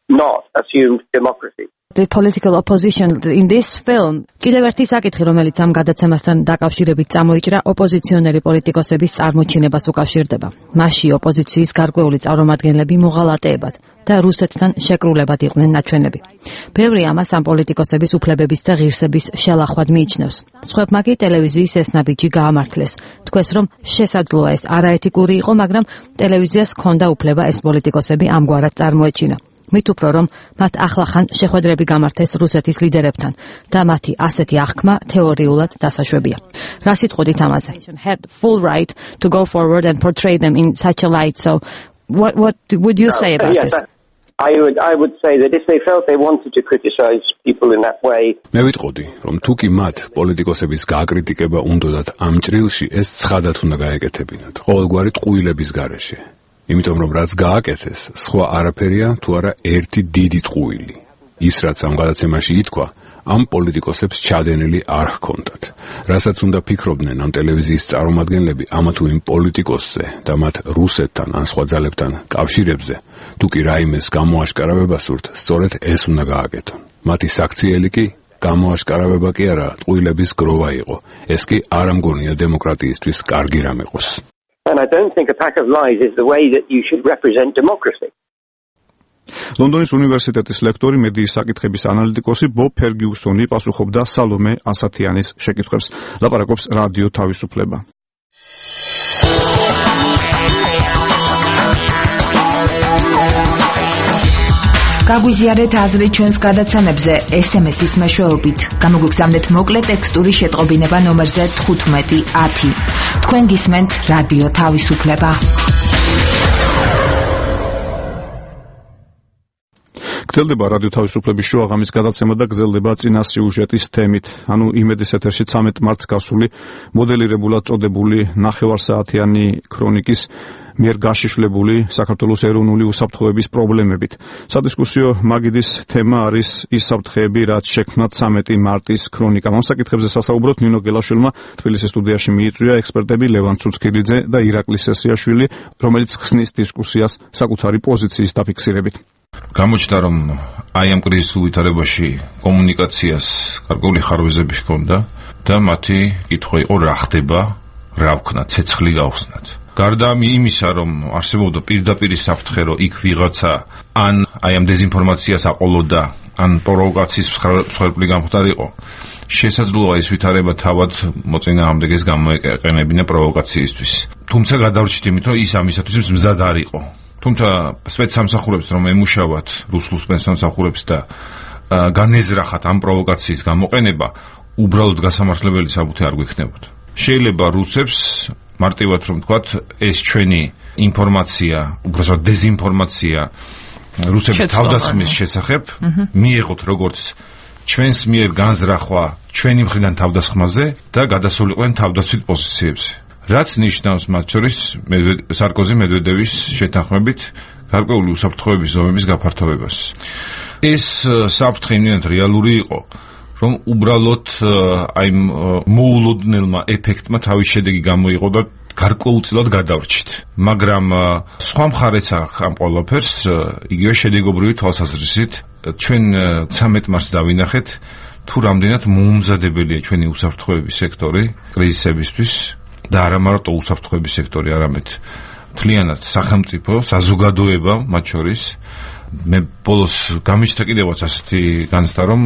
[SPEAKER 3] Not assumed democracy.
[SPEAKER 17] The political opposition in this film. კიდევ ერთი საკითხი, რომელიც ამ გადაცემასთან დაკავშირებით წამოიჭრა, ოპოზიციონერი პოლიტიკოსების წარმოჩინებას უკავშირდება. მასში ოპოზიციის გარკვეული წარმომადგენლები მოღალატეებად და რუსეთთან შეკრულებად იყვნენ ნაჩვენები. ბევრი ამას ამ პოლიტიკოსების უფლებების და ღირსების შელახვად მიიჩნევს. სხვებმა კი ტელევიზიის ეს ნაბიჯი გაამართლეს. თქვეს, რომ შესაძლოა ეს არაეთიკური იყო, მაგრამ ტელევიზიას ჰქონდა უფლება ეს პოლიტიკოსები ამგვარად წარმოეჩინა. მით უფრო რომ მათ ახლახან შეხვედრები გამართეს რუსეთის ლიდერებთან და მათი ასეთი აღქმა თეორიულად დასაშვებია. რა სიტყვით ამაზე? Had full right to go forward and portray them in such a light. So what what would you say about this?
[SPEAKER 3] I would I would say that if they felt they wanted to criticize people in that way.
[SPEAKER 16] მე ვიტყოდი, რომ თუ კი მათ პოლიტიკოსების გააკრიტიკება უნდათ ამ ჭრილში, ეს ცხადად უნდა გაეკეთებინათ, ყოველგვარი ტყუილების გარეშე. იმიტომ რომ რაც გააკეთეს, სხვა არაფერია თუ არა ერთი დიდი ტყუილი. ის რაც ამ გადაცემაში ითქვა, ამ პოლიტიკოსებს ჩადენილი არ ჰქონდათ. რასაც უნდა ფიქრობდნენ ამ ტელევიზიის წარმომადგენლები ამა თუ იმ პოლიტიკოსზე და მათ რუსეთთან ან სხვა ძალებთან კავშირებზე, თუ კი რაიმეს გამოაშკარავება სურთ, სწორედ ეს უნდა გააკეთონ. მათი საქციელი კი გამოაშკარავება კი არა, ტყუილების გროვა იყო. ეს კი არ ამგონია დემოკრატიისთვის კარგი რამ იყოს.
[SPEAKER 3] And I don't think a pack of lies is the way that you should represent democracy.
[SPEAKER 1] ლონდონის უნივერსიტეტის ლექტორი, მედიის საკითხების ანალიტიკოსი ბობ ფერგიუსონი პასუხობდა სალომე ასათიანის შეკითხვებს. ლაპარაკობს რადიო თავისუფლება.
[SPEAKER 11] გაგვიზიარეთ აზრი ჩვენს გადაცემებზე ეს ემ ეს-ის მეშვეობით. გამოგვიგზავნეთ მოკლე ტექსტური შეტყობინება ნომერზე თხუთმეტი ათი. თქვენ გისმენთ რადიო თავისუფლება.
[SPEAKER 1] გრძელდება რადიო თავისუფლების შოუ აღამის გადაცემა და გრძელდება წინა სიუჟეტის თემით. ანუ იმედის ეთერში ცამეტ მარტს გასული მოდელირებულად წოდებული ნახევარსაათიანი ქრონიკის მიერ გაშიშვლებული საქართველოს ეროვნული უსაფრთხოების პრობლემებით. სადისკუსიო მაგიდის თემა არის ის საფრთხეები, რაც შექმნა ცამეტი მარტის ქრონიკამ. ამ საკითხებზე სასაუბროთ ნინო გელაშვილმა თბილისის სტუდიაში მიიწვია ექსპერტები ლევან ცუცქილიძე და ირაკლი სესრიაშვილი, რომელიც ხსნის დისკუსიას საკუთარი პოზიციის დაფიქსირებით.
[SPEAKER 4] გამოჩნდა, რომ აი ამ კრიზისულ ვითარებაში კომუნიკაციას გარკვეული ხარვეზები ჰქონდა და მათი კითხვა იყო რა ხდება, რა ვქნა, ცეცხლი გავხსნათ. გარდა იმისა, რომ არსებობდა პირდაპირ საფრთხე, რომ იქ ვიღაცა ან აი ამ დეზინფორმაციას აყოლოდა, ან პროვოკაციის მსხვერპლი გამხდარიყო, შესაძლოა ეს ვითარება თავად მოწინააღმდეგეს გამოეყენებინა პროვოკაციისთვის. თუმცა გადავრჩით იმით, რომ ის ამისათვის მზად არ იყო. თუმცა სპეცსამსახურებს რომ ემუშავათ რუსულ სპეცსამსახურებს და განეზრახათ ამ პროვოკაციის გამოყენება, უბრალოდ გასამართლებელი საბუთი არ გვექნებოდა. შეიძლება რუსებს მარტივად რომ ვთქვათ, ეს ჩვენი ინფორმაცია, უბრალოდ დეზინფორმაცია რუსების თავდასხმის შესახებ მიიღოთ როგორც ჩვენს მიერ განზრახვა ჩვენი მხრიდან თავდასხმაზე და გადასულიყვნენ თავდაცვით პოზიციებზე. რაც ნიშნავს მათ შორის სარკოზი მედვედევის შეთანხმებით გარკვეული უსაფრთხოების ზომების გაფართოვებას. ეს საფრთხე იმდენად რეალური იყო, რომ უბრალოდ აი მოულოდნელმა ეფექტმა თავის შედეგი გამოიღო და გარკვეულწილად გადავრჩით. მაგრამ სხვა მხარეც აქვს ამ ყველაფერს, იგივე შედეგობრივი თვალსაზრისით, ჩვენ ცამეტ მარტს დავინახეთ, თუ რამდენად მოუმზადებელია ჩვენი უსაფრთხოების სექტორი კრიზისებისთვის. და არა მარტო უსაფრთხოების სექტორი, არამედ მთლიანად სახელმწიფო, საზოგადოება მათ შორის. მე ბოლოს გამიჩნდა კიდევაც ასეთი განცდა, რომ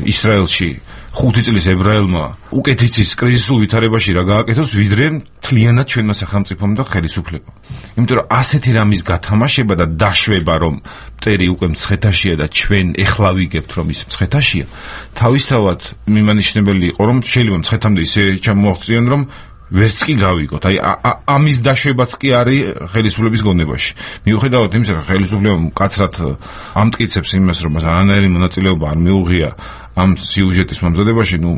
[SPEAKER 4] ისრაელში ხუთი წლის ებრაელმა უკეთ იცის კრიზისულ ვითარებაში რა გააკეთოს, ვიდრე მთლიანად ჩვენმა სახელმწიფომ და ხელისუფლებამ. იმიტომ რომ ასეთი რამის გათამაშება და დაშვება, რომ მტერი უკვე მცხეთაშია და ჩვენ ეხლა ვიგებთ, რომ ის მცხეთაშია, თავისთავად მიმანიშნებელი იყო, რომ შეიძლება მცხეთამდე ისე ჩამოაღწიონ, რომ ვერც კი გავიგოთ. აი ამის დაშვებაც კი არის ხელისუფლების გონებაში. მიუხედავად იმისა, რომ ხელისუფლება მკაცრად ამტკიცებს იმას, რომ არანაირი მონაწილეობა არ მიუღია ამ სიუჟეტის მომზადებაში, ნუ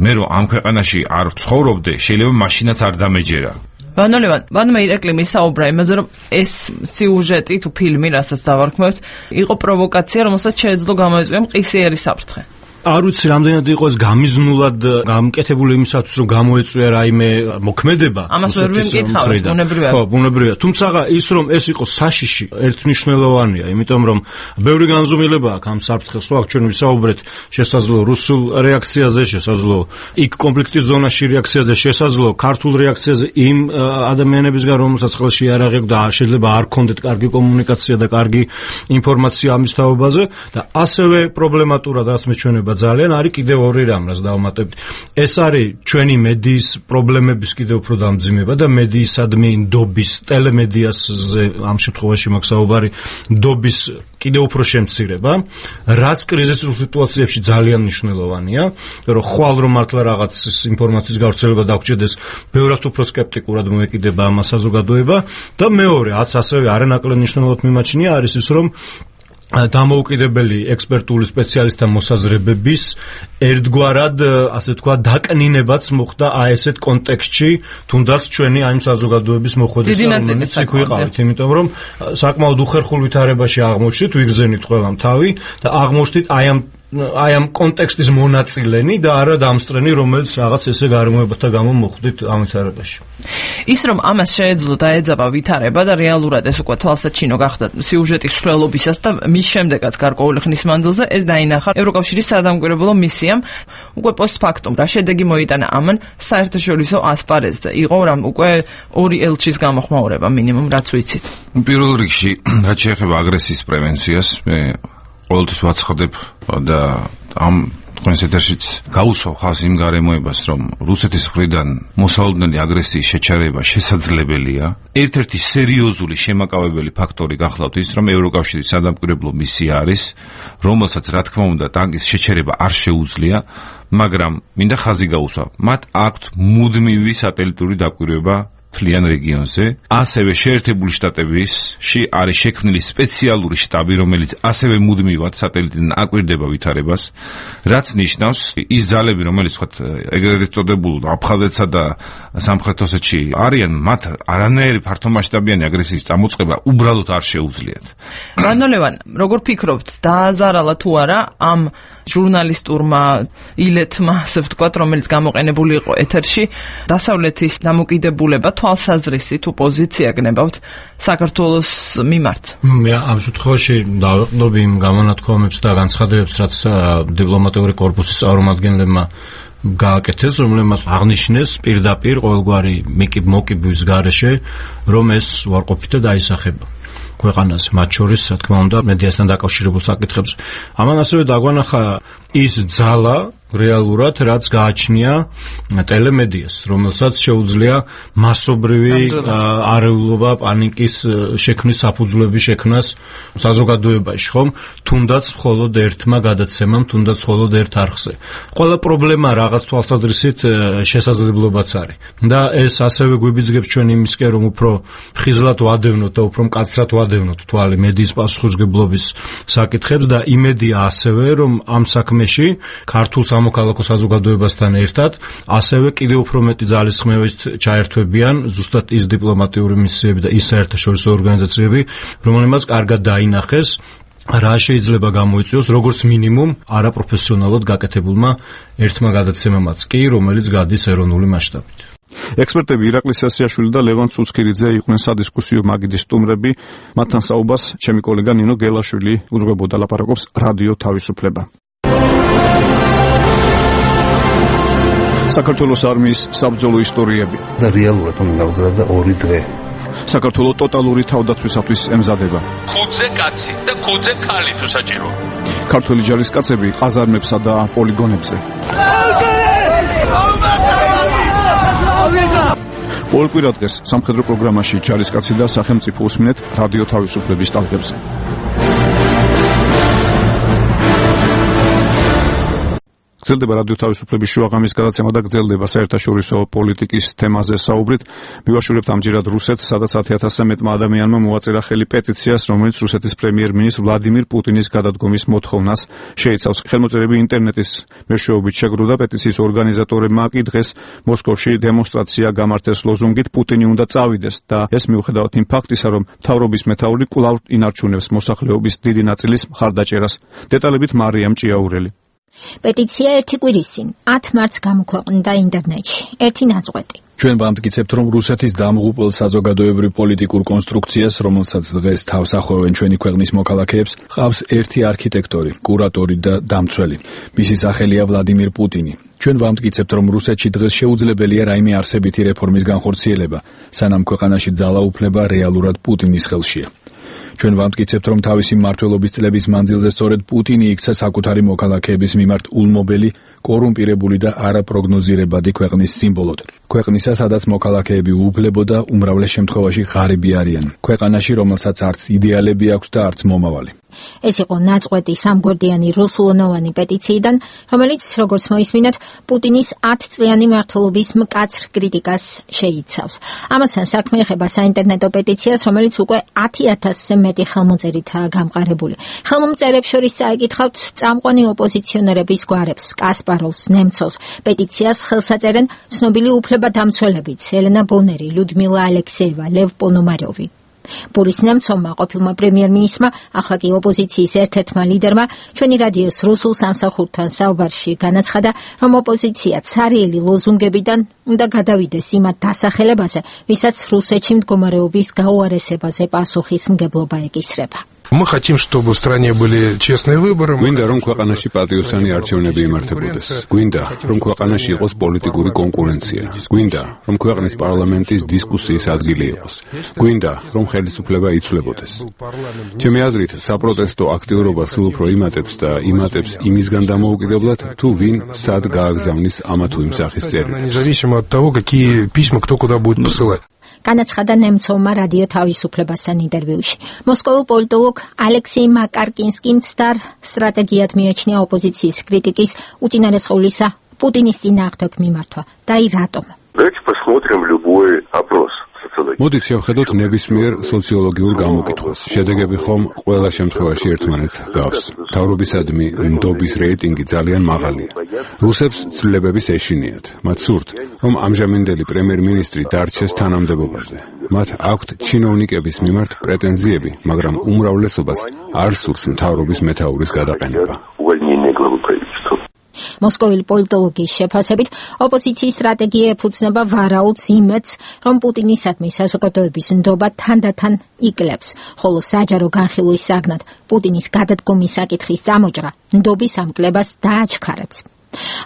[SPEAKER 4] მე რომ ამ ქვეყანაში არ ცხოვრობდე, შეიძლება მაშინაც არ დამეჯერა.
[SPEAKER 18] ვანოლევან, ვანმა ირაკლი მისაუბრა იმაზე, რომ ეს სიუჟეტი თუ ფილმი, რასაც დავარქმევთ, იყო პროვოკაცია, რომელსაც შეეძლო გამოეწვია მყისიერი საფრთხე.
[SPEAKER 5] არ ვიცი რამდენად იყო ეს გამიზნულად გამკეთებული იმისათვის, რომ გამოეწვია რაიმე მოქმედება.
[SPEAKER 18] ამას ვერ ვიმკითხავ, ბუნებრივია.
[SPEAKER 5] ხო, ბუნებრივია. თუმცა ის რომ ეს იყო საშიში, ერთნიშნულოვანია, იმიტომ რომ ბევრი განზომილება აქვს ამ საფრთხეს, ხო, ჩვენ ვისაუბრეთ შესაძლო რუსულ რეაქციაზე, შესაძლო იქ კონფლიქტის ზონაში რეაქციაზე, შესაძლო ქართულ რეაქციაზე იმ ადამიანებისგან, რომელსაც ხელში არ აღებდა და შეიძლება არ ქონდეთ კარგი კომუნიკაცია და კარგი ინფორმაცია ამის თაობაზე და ასევე პრობლემატურად რაც მეჩვენება ძალიან არის კიდევ ორი რამ, რაც დავუმატებთ. ეს არის ჩვენი მედიის პრობლემების კიდევ უფრო დამძიმება და მედიისადმი ნდობის, ტელემედიაზე ამ შემთხვევაში მაქვს საუბარი, ნდობის კიდევ უფრო შემცირება, რაც კრიზისურ სიტუაციებში ძალიან მნიშვნელოვანია, რომ ხვალ რომ მართლა რაღაც ინფორმაციის გავრცელება დაგჭირდეს, ბევრად უფრო სკეპტიკურად მოეკიდება ამ საზოგადოება და მეორე, რაც ასევე არანაკლებ მნიშვნელოვნად მიმაჩნია, არის ის, რომ დამოუკიდებელი ექსპერტული სპეციალისტთა მოსაზრებების ერთგვარად, ასე ვთქვათ, დაკნინებაც მოხდა აი ესეთ კონტექსტში, თუნდაც ჩვენი აი საზოგადოების მოხვედრისა, რომელიც იქ ვიყავით, იმიტომ რომ საკმაოდ უხერხულ ვითარებაში აღმოჩნდით, ვიგრძენით ყველამ თავი და აღმოჩნდით აი ამ აი ამ კონტექსტის მონაწილენი და არა დამსწრენი, რომელიც რაღაც ესე გარემოებათა გამო მოხვდით ამ ვითარებაში.
[SPEAKER 18] ის რომ ამას შეეძლო დაეძაბა ვითარება და რეალურად ეს უკვე თვალსაჩინო გახდა სიუჟეტის მსვლელობისას და მის შემდეგაც გარკვეული ხნის მანძილზე ეს დაინახა ევროკავშირის სადამკვირვებლო მისიამ უკვე პოსტფაქტუმ რა შედეგი მოიტანა ამან საერთაშორისო ასპარეზზე. იყო რამ უკვე ორი ელჩის გამოხმაურება მინიმუმ რაც ვიცით.
[SPEAKER 4] პირველ რიგში რაც შეეხება აგრესიის პრევენციას, მე ყოველთვის ვაცხადებ და ამ თქვენს ეთერშიც გაუსვავ ხალხს იმ გარემოებას, რომ რუსეთის მხრიდან მოსალოდნელი აგრესიის შეჩერება შესაძლებელია. ერთ-ერთი სერიოზული შემაკავებელი ფაქტორი გახლავთ ის, რომ ევროკავშირის სადამკვირვებლო მისია არის, რომელსაც რა თქმა უნდა ტანკის შეჩერება არ შეუძლია, მაგრამ მინდა ხაზი გაუსვავ. მათ აქვთ მუდმივი სატელიტური დაკვირვება მთლიან რეგიონზე, ასევე შეერთებული შტატებისში არის შექმნილი სპეციალური შტაბი, რომელიც ასევე მუდმივად სატელიტიდან აკვირდება ვითარებას, რაც ნიშნავს, ის ძალები, რომელიც ვთქვათ, ეგრეთ წოდებულ აფხაზეთსა და სამხრეთ ოსეთში არიან, მათ არანაირი ფართომასშტაბიანი აგრესიის წამოწყება უბრალოდ არ შეუძლიათ.
[SPEAKER 18] რანოლევან, როგორ ფიქრობთ, დააზარალა თუ არა ამ ჟურნალისტურმა ილეთმა, ასე ვთქვათ, რომელიც გამოყენებული იყო ეთერში, დასავლეთის დამოკიდებულება თვალსაზრისი თუ პოზიცია გნებავთ საქართველოს მიმართ?
[SPEAKER 5] მე ამ შემთხვევაში დავეყრდნობ იმ გამონათქვამებს და განცხადებებს, რაც დიპლომატიური კორპუსის წარმომადგენლებმა გააკეთეს, რომლებმაც აღნიშნეს პირდაპირ ყოველგვარი მოკიბვის გარეშე, რომ ეს უარყოფითად აისახება ქვეყანას, მათ შორის, რა თქმა უნდა, მედიასთან დაკავშირებულ საკითხებს. ამან ასევე დაგვანახა ის ძალა რეალურად, რაც გააჩნია ტელემედიას, რომელსაც შეუძლია მასობრივი არეულობა, პანიკის შექმნის საფუძვლების შექმნას საზოგადოებაში, ხომ? თუნდაც მხოლოდ ერთმა გადაცემამ, თუნდაც მხოლოდ ერთ არხზე. ყველა პრობლემა რაღაც თვალსაზრისით შესაძლებლობაც არის. და ეს ასევე გვიბიძგებს ჩვენ იმისკენ, რომ უფრო ხიზლად ვადევნოთ და უფრო მკაცრად ვადევნოთ თვალი მედიის პასუხისმგებლობის საკითხებს და იმედია ასევე, რომ ამ საქმეში ქართულ სამოქალაქო საზოგადოებასთან ერთად ასევე კიდევ უფრო მეტი ძალისხმევით ჩაერთვებიან ზუსტად ის დიპლომატიური მისიები და ის საერთაშორისო ორგანიზაციები, რომელმაც კარგად დაინახეს რა შეიძლება გამოიწვიოს როგორც მინიმუმ არაპროფესიონალურად გაკეთებულმა ერთმა გადაცემამაც კი, რომელიც გადის ეროვნული მასშტაბით.
[SPEAKER 1] ექსპერტები ირაკლი სასიაშვილი და ლევან ცუცქირიძე იყვნენ სადისკუსიო მაგიდის სტუმრები. მათთან საუბარს ჩემი კოლეგა ნინო გელაშვილი უძღვებოდა, ლაპარაკობს რადიო თავისუფლება. საქართველოს არმიის საბრძოლო ისტორიები
[SPEAKER 19] და რეალურად უნდა გავზარდა ორი დღე.
[SPEAKER 1] საქართველოს ტოტალური თავდაცვისათვის ემზადება.
[SPEAKER 20] ხუთზე კაცი და ხუთზე ქალი თუ საჭირო.
[SPEAKER 1] ქართველი ჯარისკაცები ყაზარმებსა და პოლიგონებზე. ყოველ კვირა დღეს სამხედრო პროგრამაში ჯარისკაცი და სახელმწიფო უსმინეთ რადიო თავისუფლების ტალღებზე. გრძელდება რადიო თავისუფლების შუაღამის გადაცემა და გრძელდება საერთაშორისო პოლიტიკის თემაზე საუბრით. მივაშურებთ ამჯერად რუსეთს, სადაც ათი ათასზე მეტმა ადამიანმა მოაწერა ხელი პეტიციას, რომელიც რუსეთის პრემიერ-მინისტრ ვლადიმირ პუტინის გადადგომის მოთხოვნას შეიცავს. ხელმოწერები ინტერნეტის მეშვეობით შეგროვდა. პეტიციის ორგანიზატორებმა კი დღეს მოსკოვში დემონსტრაცია გამართეს ლოზუნგით „პუტინი უნდა წავიდეს“ და ეს მიუხედავად იმ ფაქტისა, რომ მთავრობის მეთაური კვლავ ინარჩუნებს მოსახლეობის დიდი ნაწილის მხარდაჭერას. დეტალებით მარიამ ჭიაურელი.
[SPEAKER 21] პეტიცია ერთი კვირის წინ ათ მარტს გამოქვეყნდა ინტერნეტში. ერთი ნაწყვეტი.
[SPEAKER 2] ჩვენ ვამტკიცებთ, რომ რუსეთის დამღუპელ საზოგადოებრივ პოლიტიკურ კონსტრუქციას, რომელსაც დღეს თავს ახვევენ ჩვენი ქვეყნის მოქალაქეებს, ყავს ერთი არქიტექტორი, კურატორი და დამცველი. მისი სახელია ვლადიმირ პუტინი. ჩვენ ვამტკიცებთ, რომ რუსეთში დღეს შეუძლებელია რაიმე არსებითი რეფორმის განხორციელება, სანამ ქვეყანაში ძალაუფლება რეალურად პუტინის ხელშია. ჩვენ ვამტკიცებთ, რომ თავისი მმართველობის წლების მანძილზე სწორედ პუტინი იქცა საკუთარი მოქალაქეების მიმართ ულმობელი, კორუმპირებული და არაპროგნოზირებადი ქვეყნის სიმბოლოდ. ქვეყნისა, სადაც მოქალაქეები უუფლებო და უმრავლეს შემთხვევაში ღარიბი არიან. ქვეყანაში, რომელსაც არც იდეალები აქვს და არც მომავალი.
[SPEAKER 21] ეს იყო ნაწყვეტი სამგვერდიანი რუსულენოვანი პეტიციიდან, რომელიც, როგორც მოისმინეთ, პუტინის ათწლიანი მმართველობის მკაცრ კრიტიკას შეიცავს. ამასთან საქმე ეხება საინტერნეტო პეტიციას, რომელიც უკვე ათი ათასზე მეტი ხელმოწერითაა გამყარებული. ხელმომწერებს შორის წაიკითხავთ წამყვანი ოპოზიციონერების გვარებს, კასპაროვს, ნემცოვს. პეტიციას ხელს აწერენ ცნობილი უფლებადამცველებიც, ელენა ბონერი, ლიუდმილა ალექსეევა, ლევ პონომაროვი. ბორის ნემცოვმა, ყოფილმა პრემიერ-მინისტრმა, ახლა კი ოპოზიციის ერთ-ერთმა ლიდერმა, ჩვენი რადიოს რუსულ სამსახურთან საუბარში განაცხადა, რომ ოპოზიცია ცარიელი лозунгებიდან უნდა გადავიდეს იმ დასახელებაზე, ვისაც რუსეთში მდგომარეობის გაუარესებაზე პასუხისმგებლობა ეკისრება.
[SPEAKER 8] Мы хотим, чтобы в стране были честные выборы.
[SPEAKER 16] გვინდა რომ ქვეყანაში პატიოსანი არჩევნები იმართებოდეს. გვინდა რომ ქვეყანაში იყოს პოლიტიკური კონკურენცია. გვინდა რომ ქვეყნის პარლამენტის დისკუსიის ადგილი იყოს. გვინდა რომ ხელისუფლება იცვლებოდეს. ჩემი აზრით, საპროტესტო აქტიურობა სულ უფრო იმატებს და იმატებს იმისგან დამოუკიდებლად, თუ ვინ სად გააგზავნის ამა თუ იმ სახის წერილს.
[SPEAKER 8] Независимо от того, какие письма кто куда будет посылать.
[SPEAKER 21] განაცხადა ნემცოვმა რადიო თავისუფლებასთან ინტერვიუში. მოსკოვურ პოლიტოლოგ ალექსეი მაკარკინსკიმ ცდარ სტრატეგიად მიაჩნია ოპოზიციის კრიტიკის უწინარესყავლისა პუტინის წინააღმდეგ მიმართვა. და აი რატომ?
[SPEAKER 22] Давайте посмотрим любой опрос.
[SPEAKER 16] მოდით შევხედოთ ნებისმიერ სოციოლოგიურ გამოკითხვას. შედეგები ხომ ყველა შემთხვევაში ერთმანეთს ჰგავს. მთავრობისადმი ნდობის რეიტინგი ძალიან მაღალია. რუსებს ცვლილებების ეშინიათ. მათ სურთ, რომ ამჟამინდელი პრემიერ-მინისტრი დარჩეს თანამდებობაზე. მათ აქვთ ჩინოვნიკების მიმართ პრეტენზიები, მაგრამ უმრავლესობას არ სურს მთავრობის მეთაურის გადაყენება.
[SPEAKER 21] მოსკოვილი პოლიტოლოგის შეფასებით, ოპოზიციის სტრატეგია ეფუძნება ვარაუდს იმედს, რომ პუტინისადმი საზოგადოების ნდობა თანდათან იკლებს, ხოლო საჯარო განხილვის საგნად პუტინის გადადგომის საკითხის წამოჭრა ნდობის ამკლებას დააჩქარებს.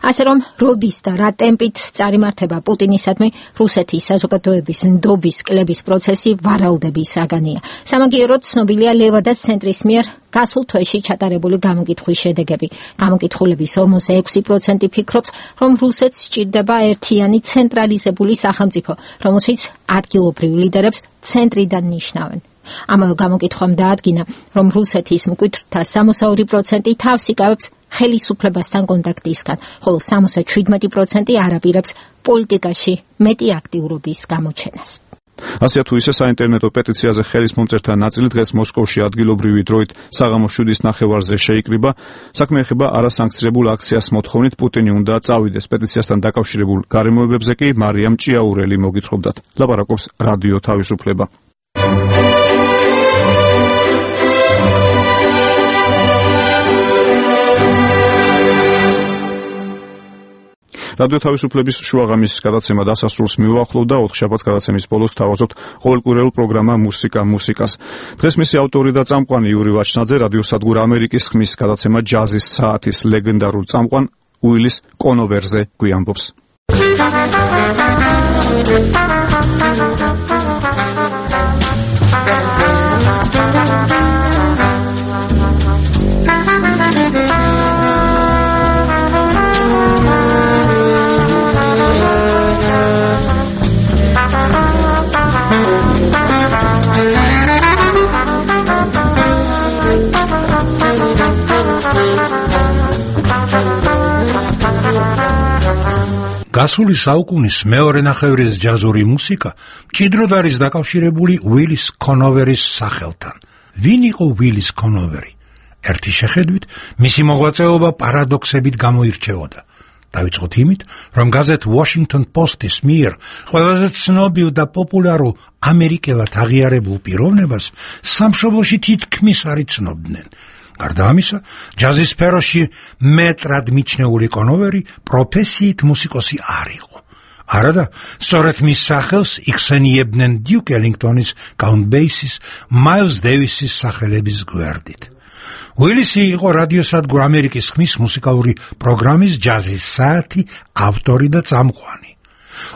[SPEAKER 21] ასე რომ, როდის და რა ტემპით წარიმართება პუტინისადმი რუსეთის საზოგადოების ნდობის კლების პროცესი ვარაუდების საგანია. სამაგიეროდ ცნობილია ლევადას ცენტრის მიერ გასულ თვეში ჩატარებული გამოკითხვის შედეგები. გამოკითხულების ორმოცდა ექვსი პროცენტი ფიქრობს, რომ რუსეთს სჭირდება ერთიანი ცენტრალიზებული სახელმწიფო, რომელშიც ადგილობრივ ლიდერებს ცენტრიდან ნიშნავენ. ამავე გამოკითხვამ დაადგინა, რომ რუსეთის მკვიდრთა სამოცდაორი პროცენტი თავს იკავებს ხელისუფლებასთან კონტაქტისგან, ხოლო სამოცდაშვიდმეტი პროცენტი არაპირებს პოლიტიკაში მეტი აქტიურობის გამოჩენას.
[SPEAKER 1] ასეა თუ ისე საინტერნეტო პეტიციაზე ხელის მომწერთა ნაწილი დღეს მოსკოვში ადგილობრივი დროით საღამოს შვიდის ნახევარზე შეიკრიბა. საქმე ეხება არასანქცირებულ აქციას მოთხოვნით პუტინი უნდა წავიდეს. პეტიციასთან დაკავშირებულ გარემოებებზე კი მარიამ ჭიაურელი მოგითხრობდათ. ლაპარაკობს რადიო თავისუფლება. რადიო თავისუფლების შუაღამის გადაცემა დასასრულს მივუახლოვ და ოთხშაბათს გადაცემის ბოლოს თავაზობთ ყოველკვირეულ პროგრამა მუსიკა მუსიკას. დღეს მისი ავტორი და წამყვანი იური ვაჩნაძე რადიოსადგურ ამერიკის ხმის გადაცემა ჯაზის საათის ლეგენდარულ წამყვან უილის კონოვერზე გვიამბობს.
[SPEAKER 23] გასული საუკუნის მეორე ნახევრის ჯაზური მუსიკა მჭიდროდ არის დაკავშირებული უილის კონოვერის სახელთან. ვინ იყო უილის კონოვერი? ერთი შეხედვით, მისი მოღვაწეობა პარადოქსებით გამოირჩეოდა. დავიწყოთ იმით, რომ გაზეთ Washington Post-ის მიერ ყველაზე ცნობილ და პოპულარულ ამერიკელად აღიარებულ პიროვნებას სამშობლოში თითქმის არ იცნობდნენ. გარდა ამისა, ჯაზის სფეროში მეტრად მიჩნეული კონოვერი პროფესიით მუსიკოსი არ იყო. არადა, სწორედ მის სახელს იხსენიებდნენ დიუკ ელინგტონის, კაუნტ ბეისის, მაილს დევისის სახელების გვერდით. უილისი იყო რადიოსადგურ ამერიკის ხმის მუსიკალური პროგრამის ჯაზის საათი ავტორი და წამყვანი.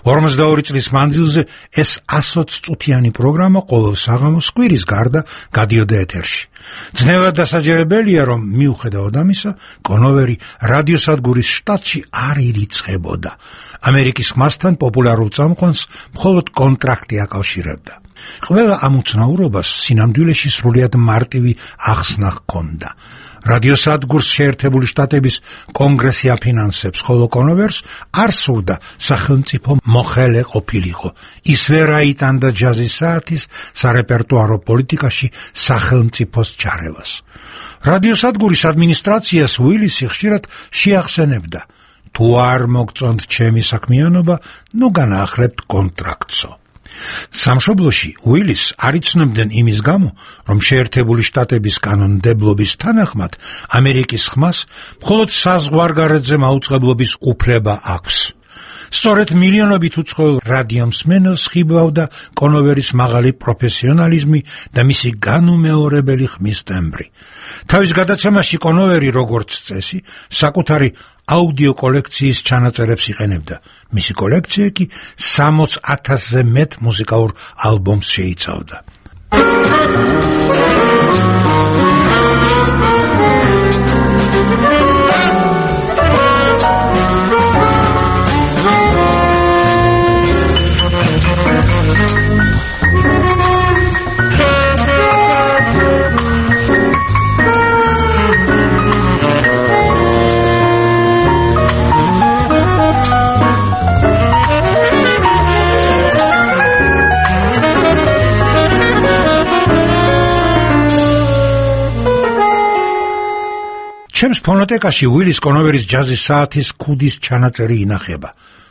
[SPEAKER 23] ორმოცდაორი წლის მანძილზე ეს ასოც წუთიანი პროგრამა ყოველ საღამოს კვირის გარდა გადიოდა ეთერში. ძნელად დასაჯერებელია, რომ მიუხედავად ამისა, კონოვერი რადიოსადგურის შტატში არ ირიცხებოდა. ამერიკის ხმასთან პოპულარულ წამყვანს მხოლოდ კონტრაქტი აკავშირებდა. ყველა ამ უცნაურობას სინამდვილეში სრულიად მარტივი ახსნა ჰქონდა. რადიოსადგურს შეერთებული შტატების კონგრესი აფინანსებს, ხოლო კონოვერს არ სურდა სახელმწიფო მოხელე ყოფილიყო. ისვე რა იტანდა ჯაზის საათის სარეპერტუარო პოლიტიკაში სახელმწიფოს ჩარევას. რადიოსადგურის ადმინისტრაციას უილისი ხშირად შეახსენებდა: თუ არ მოგწონთ ჩემი საქმიანობა, ნუ განაახლებთ კონტრაქტსო. სამშობლოში უილის არ იცნობდნენ იმის გამო, რომ შეერთებული შტატების კანონმდებლობის თანახმად ამერიკის ხმას მხოლოდ საზღვარგარეთზე მაუწყებლობის უფლება აქვს. სწორედ მილიონობით უცხოელ რადიომსმენელს ხიბლავდა კონოვერის მაღალი პროფესიონალიზმი და მისი განუმეორებელი ხმის ტემბრი. თავის გადაცემაში კონოვერი, როგორც წესი, საკუთარი აუდიო კოლექციის ჩანაწერებს იყენებდა. მისი კოლექცია კი სამოც ათასზე მეტ მუსიკალურ ალბომს შეიცავდა. ჩემს ფონოტეკაში უილის კონოვერის ჯაზის საათის ქუდის ჩანაწერი ინახება.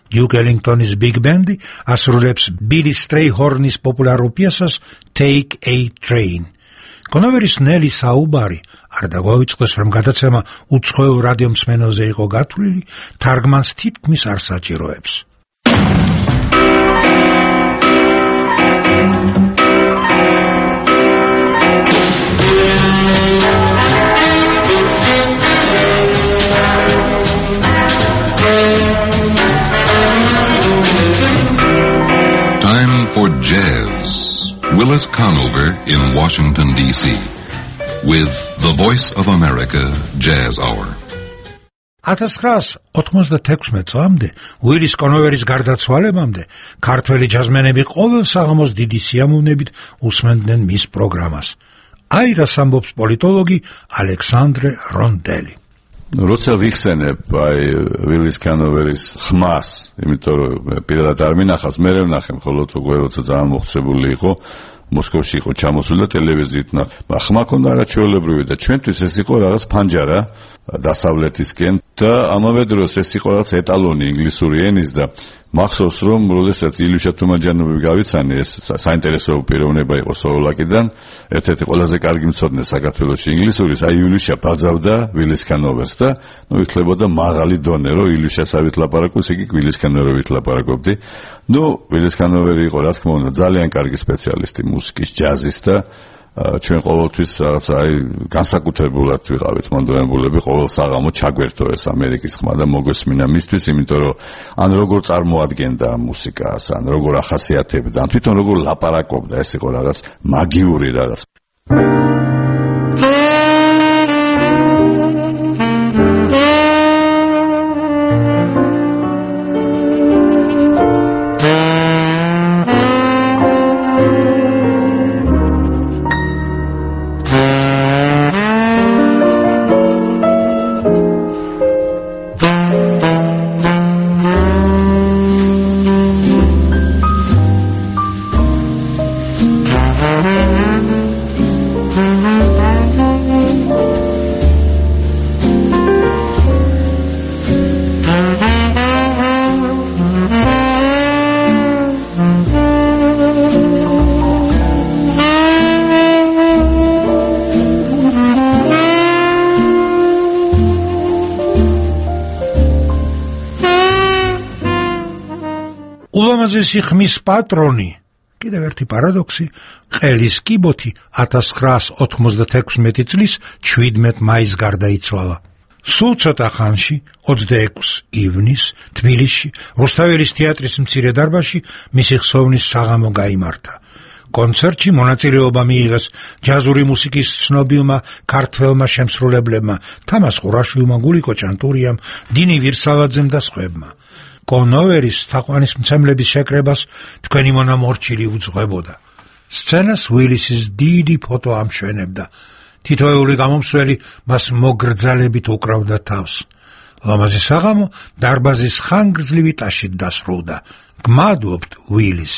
[SPEAKER 23] დიუკ ელინგტონის ბიგ ბენდი ასრულებს ბილი სტრეიჰორნის პოპულარულ პიესას Take a Train. კონოვერის ნელი საუბარი არ დაგვაუწყდეს, რომ გადაცემა უცხოელ რადიომსმენელზე იყო გათვლილი, თარგმანს თითქმის არ საჭიროებს.
[SPEAKER 6] For jazz, Willis Conover in Washington, D C with the Voice of America Jazz Hour.
[SPEAKER 23] ათას ცხრაასი ოთხმოცდათექვსმეტ წლამდე, უილის კონოვერის გარდაცვალებამდე, ქართველი ჯაზმენები ყოველ საღამოს დიდი სიამოვნებით უსმენდნენ მის პროგრამას. აი რას ამბობს პოლიტოლოგი ალექსანდრე რონდელი.
[SPEAKER 7] როცა ვიხსენებ აი ვილის კანოვერის ხმას, იმიტომ რომ პირადად არ მინახავს, მე ვნახე მხოლოდ უკვე როცა ძალიან მოხსებული იყო, მოსკოვში იყო ჩამოსული და ტელევიზიით ნახე. ხმა ქონდა არაჩვეულებრივი და ჩვენთვის ეს იყო რაღაც ფანჯარა დასავლეთისკენ და ამავე დროს ეს იყო რაღაც ეტალონი ინგლისური ენის და მახსოვს რომ როდესაც ილუშა თუმაჯანოვი გავიცანი, ეს საინტერესო პიროვნება იყო სლოვაკიდან, ერთ-ერთი ყველაზე კარგი მცოდნე საქართველოში ინგლისურის, აი ილუშა ბაძავდა ვილის კანოვერს და ნუ იხლებოდა მაღალი დონე, რომ ილუშასავით ლაპარაკობს, იგი ვილის კანოვერით ლაპარაკობდი. ნუ ვილის კანოვერი იყო რა თქმა უნდა ძალიან კარგი სპეციალისტი მუსიკის, ჯაზის და ჩვენ ყოველთვის რაღაც აი განსაკუთრებულად ვიყავით მონდომებულები ყოველ საღამო ჩაგვერთო ეს ამერიკის ხმა და მოგესმინა მისთვის, იმიტომ რომ ან როგორ წარმოადგენდა მუსიკას, ან როგორ ახასიათებდა, ან თვითონ როგორ ლაპარაკობდა, ეს იყო რაღაც მაგიური რაღაც. ულამაზესი ხმის პატრონი, კიდევ ერთი პარადოქსი, ყელის კიბოთი ათას ცხრაასი ოთხმოცდათექვსმეტი წლის შვიდმეტ მაისს გარდაიცვალა.
[SPEAKER 23] სულ ცოტა ხანში, ოცდაექვსი ივნისს, თბილისში, რუსთაველის თეატრის მცირე დარბაზში მისი ხსოვნის საღამო გაიმართა. კონცერტში მონაწილეობა მიიღეს ჯაზური მუსიკის ცნობილმა ქართველმა შემსრულებლებმა თამაზ ყურაშვილმა, გულიკო ჭანტურიამ, დინი ვირსალაძემ და სხვებმა. კონოვერის თაყვანისმცემლების შეკრებას თქვენი მონამორჩილი უძღვებოდა. სცენას უილისის დიდი ფოტო ამშვენებდა. თითოეული გამომსვლელი მას მოგრძალებით უკრავდა თავს. ლამაზი საღამო დარბაზის ხანგრძლივი ტაშით დასრულდა. გმადლობთ, უილის.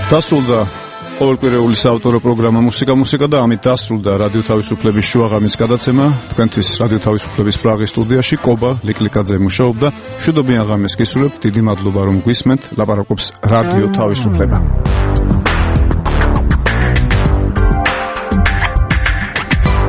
[SPEAKER 1] დასრულდა ყოველკვირეული საავტორო პროგრამა მუსიკა მუსიკა და ამით დასრულდა რადიო თავისუფლების შუაღამის გადაცემა. თქვენთვის რადიო თავისუფლების პრაღის სტუდიაში კობა ლიკლიკაძე მუშაობდა. მშვიდობიან ღამეს გისურვებთ. დიდი მადლობა რომ გვისმენთ. ლაპარაკობს რადიო თავისუფლება.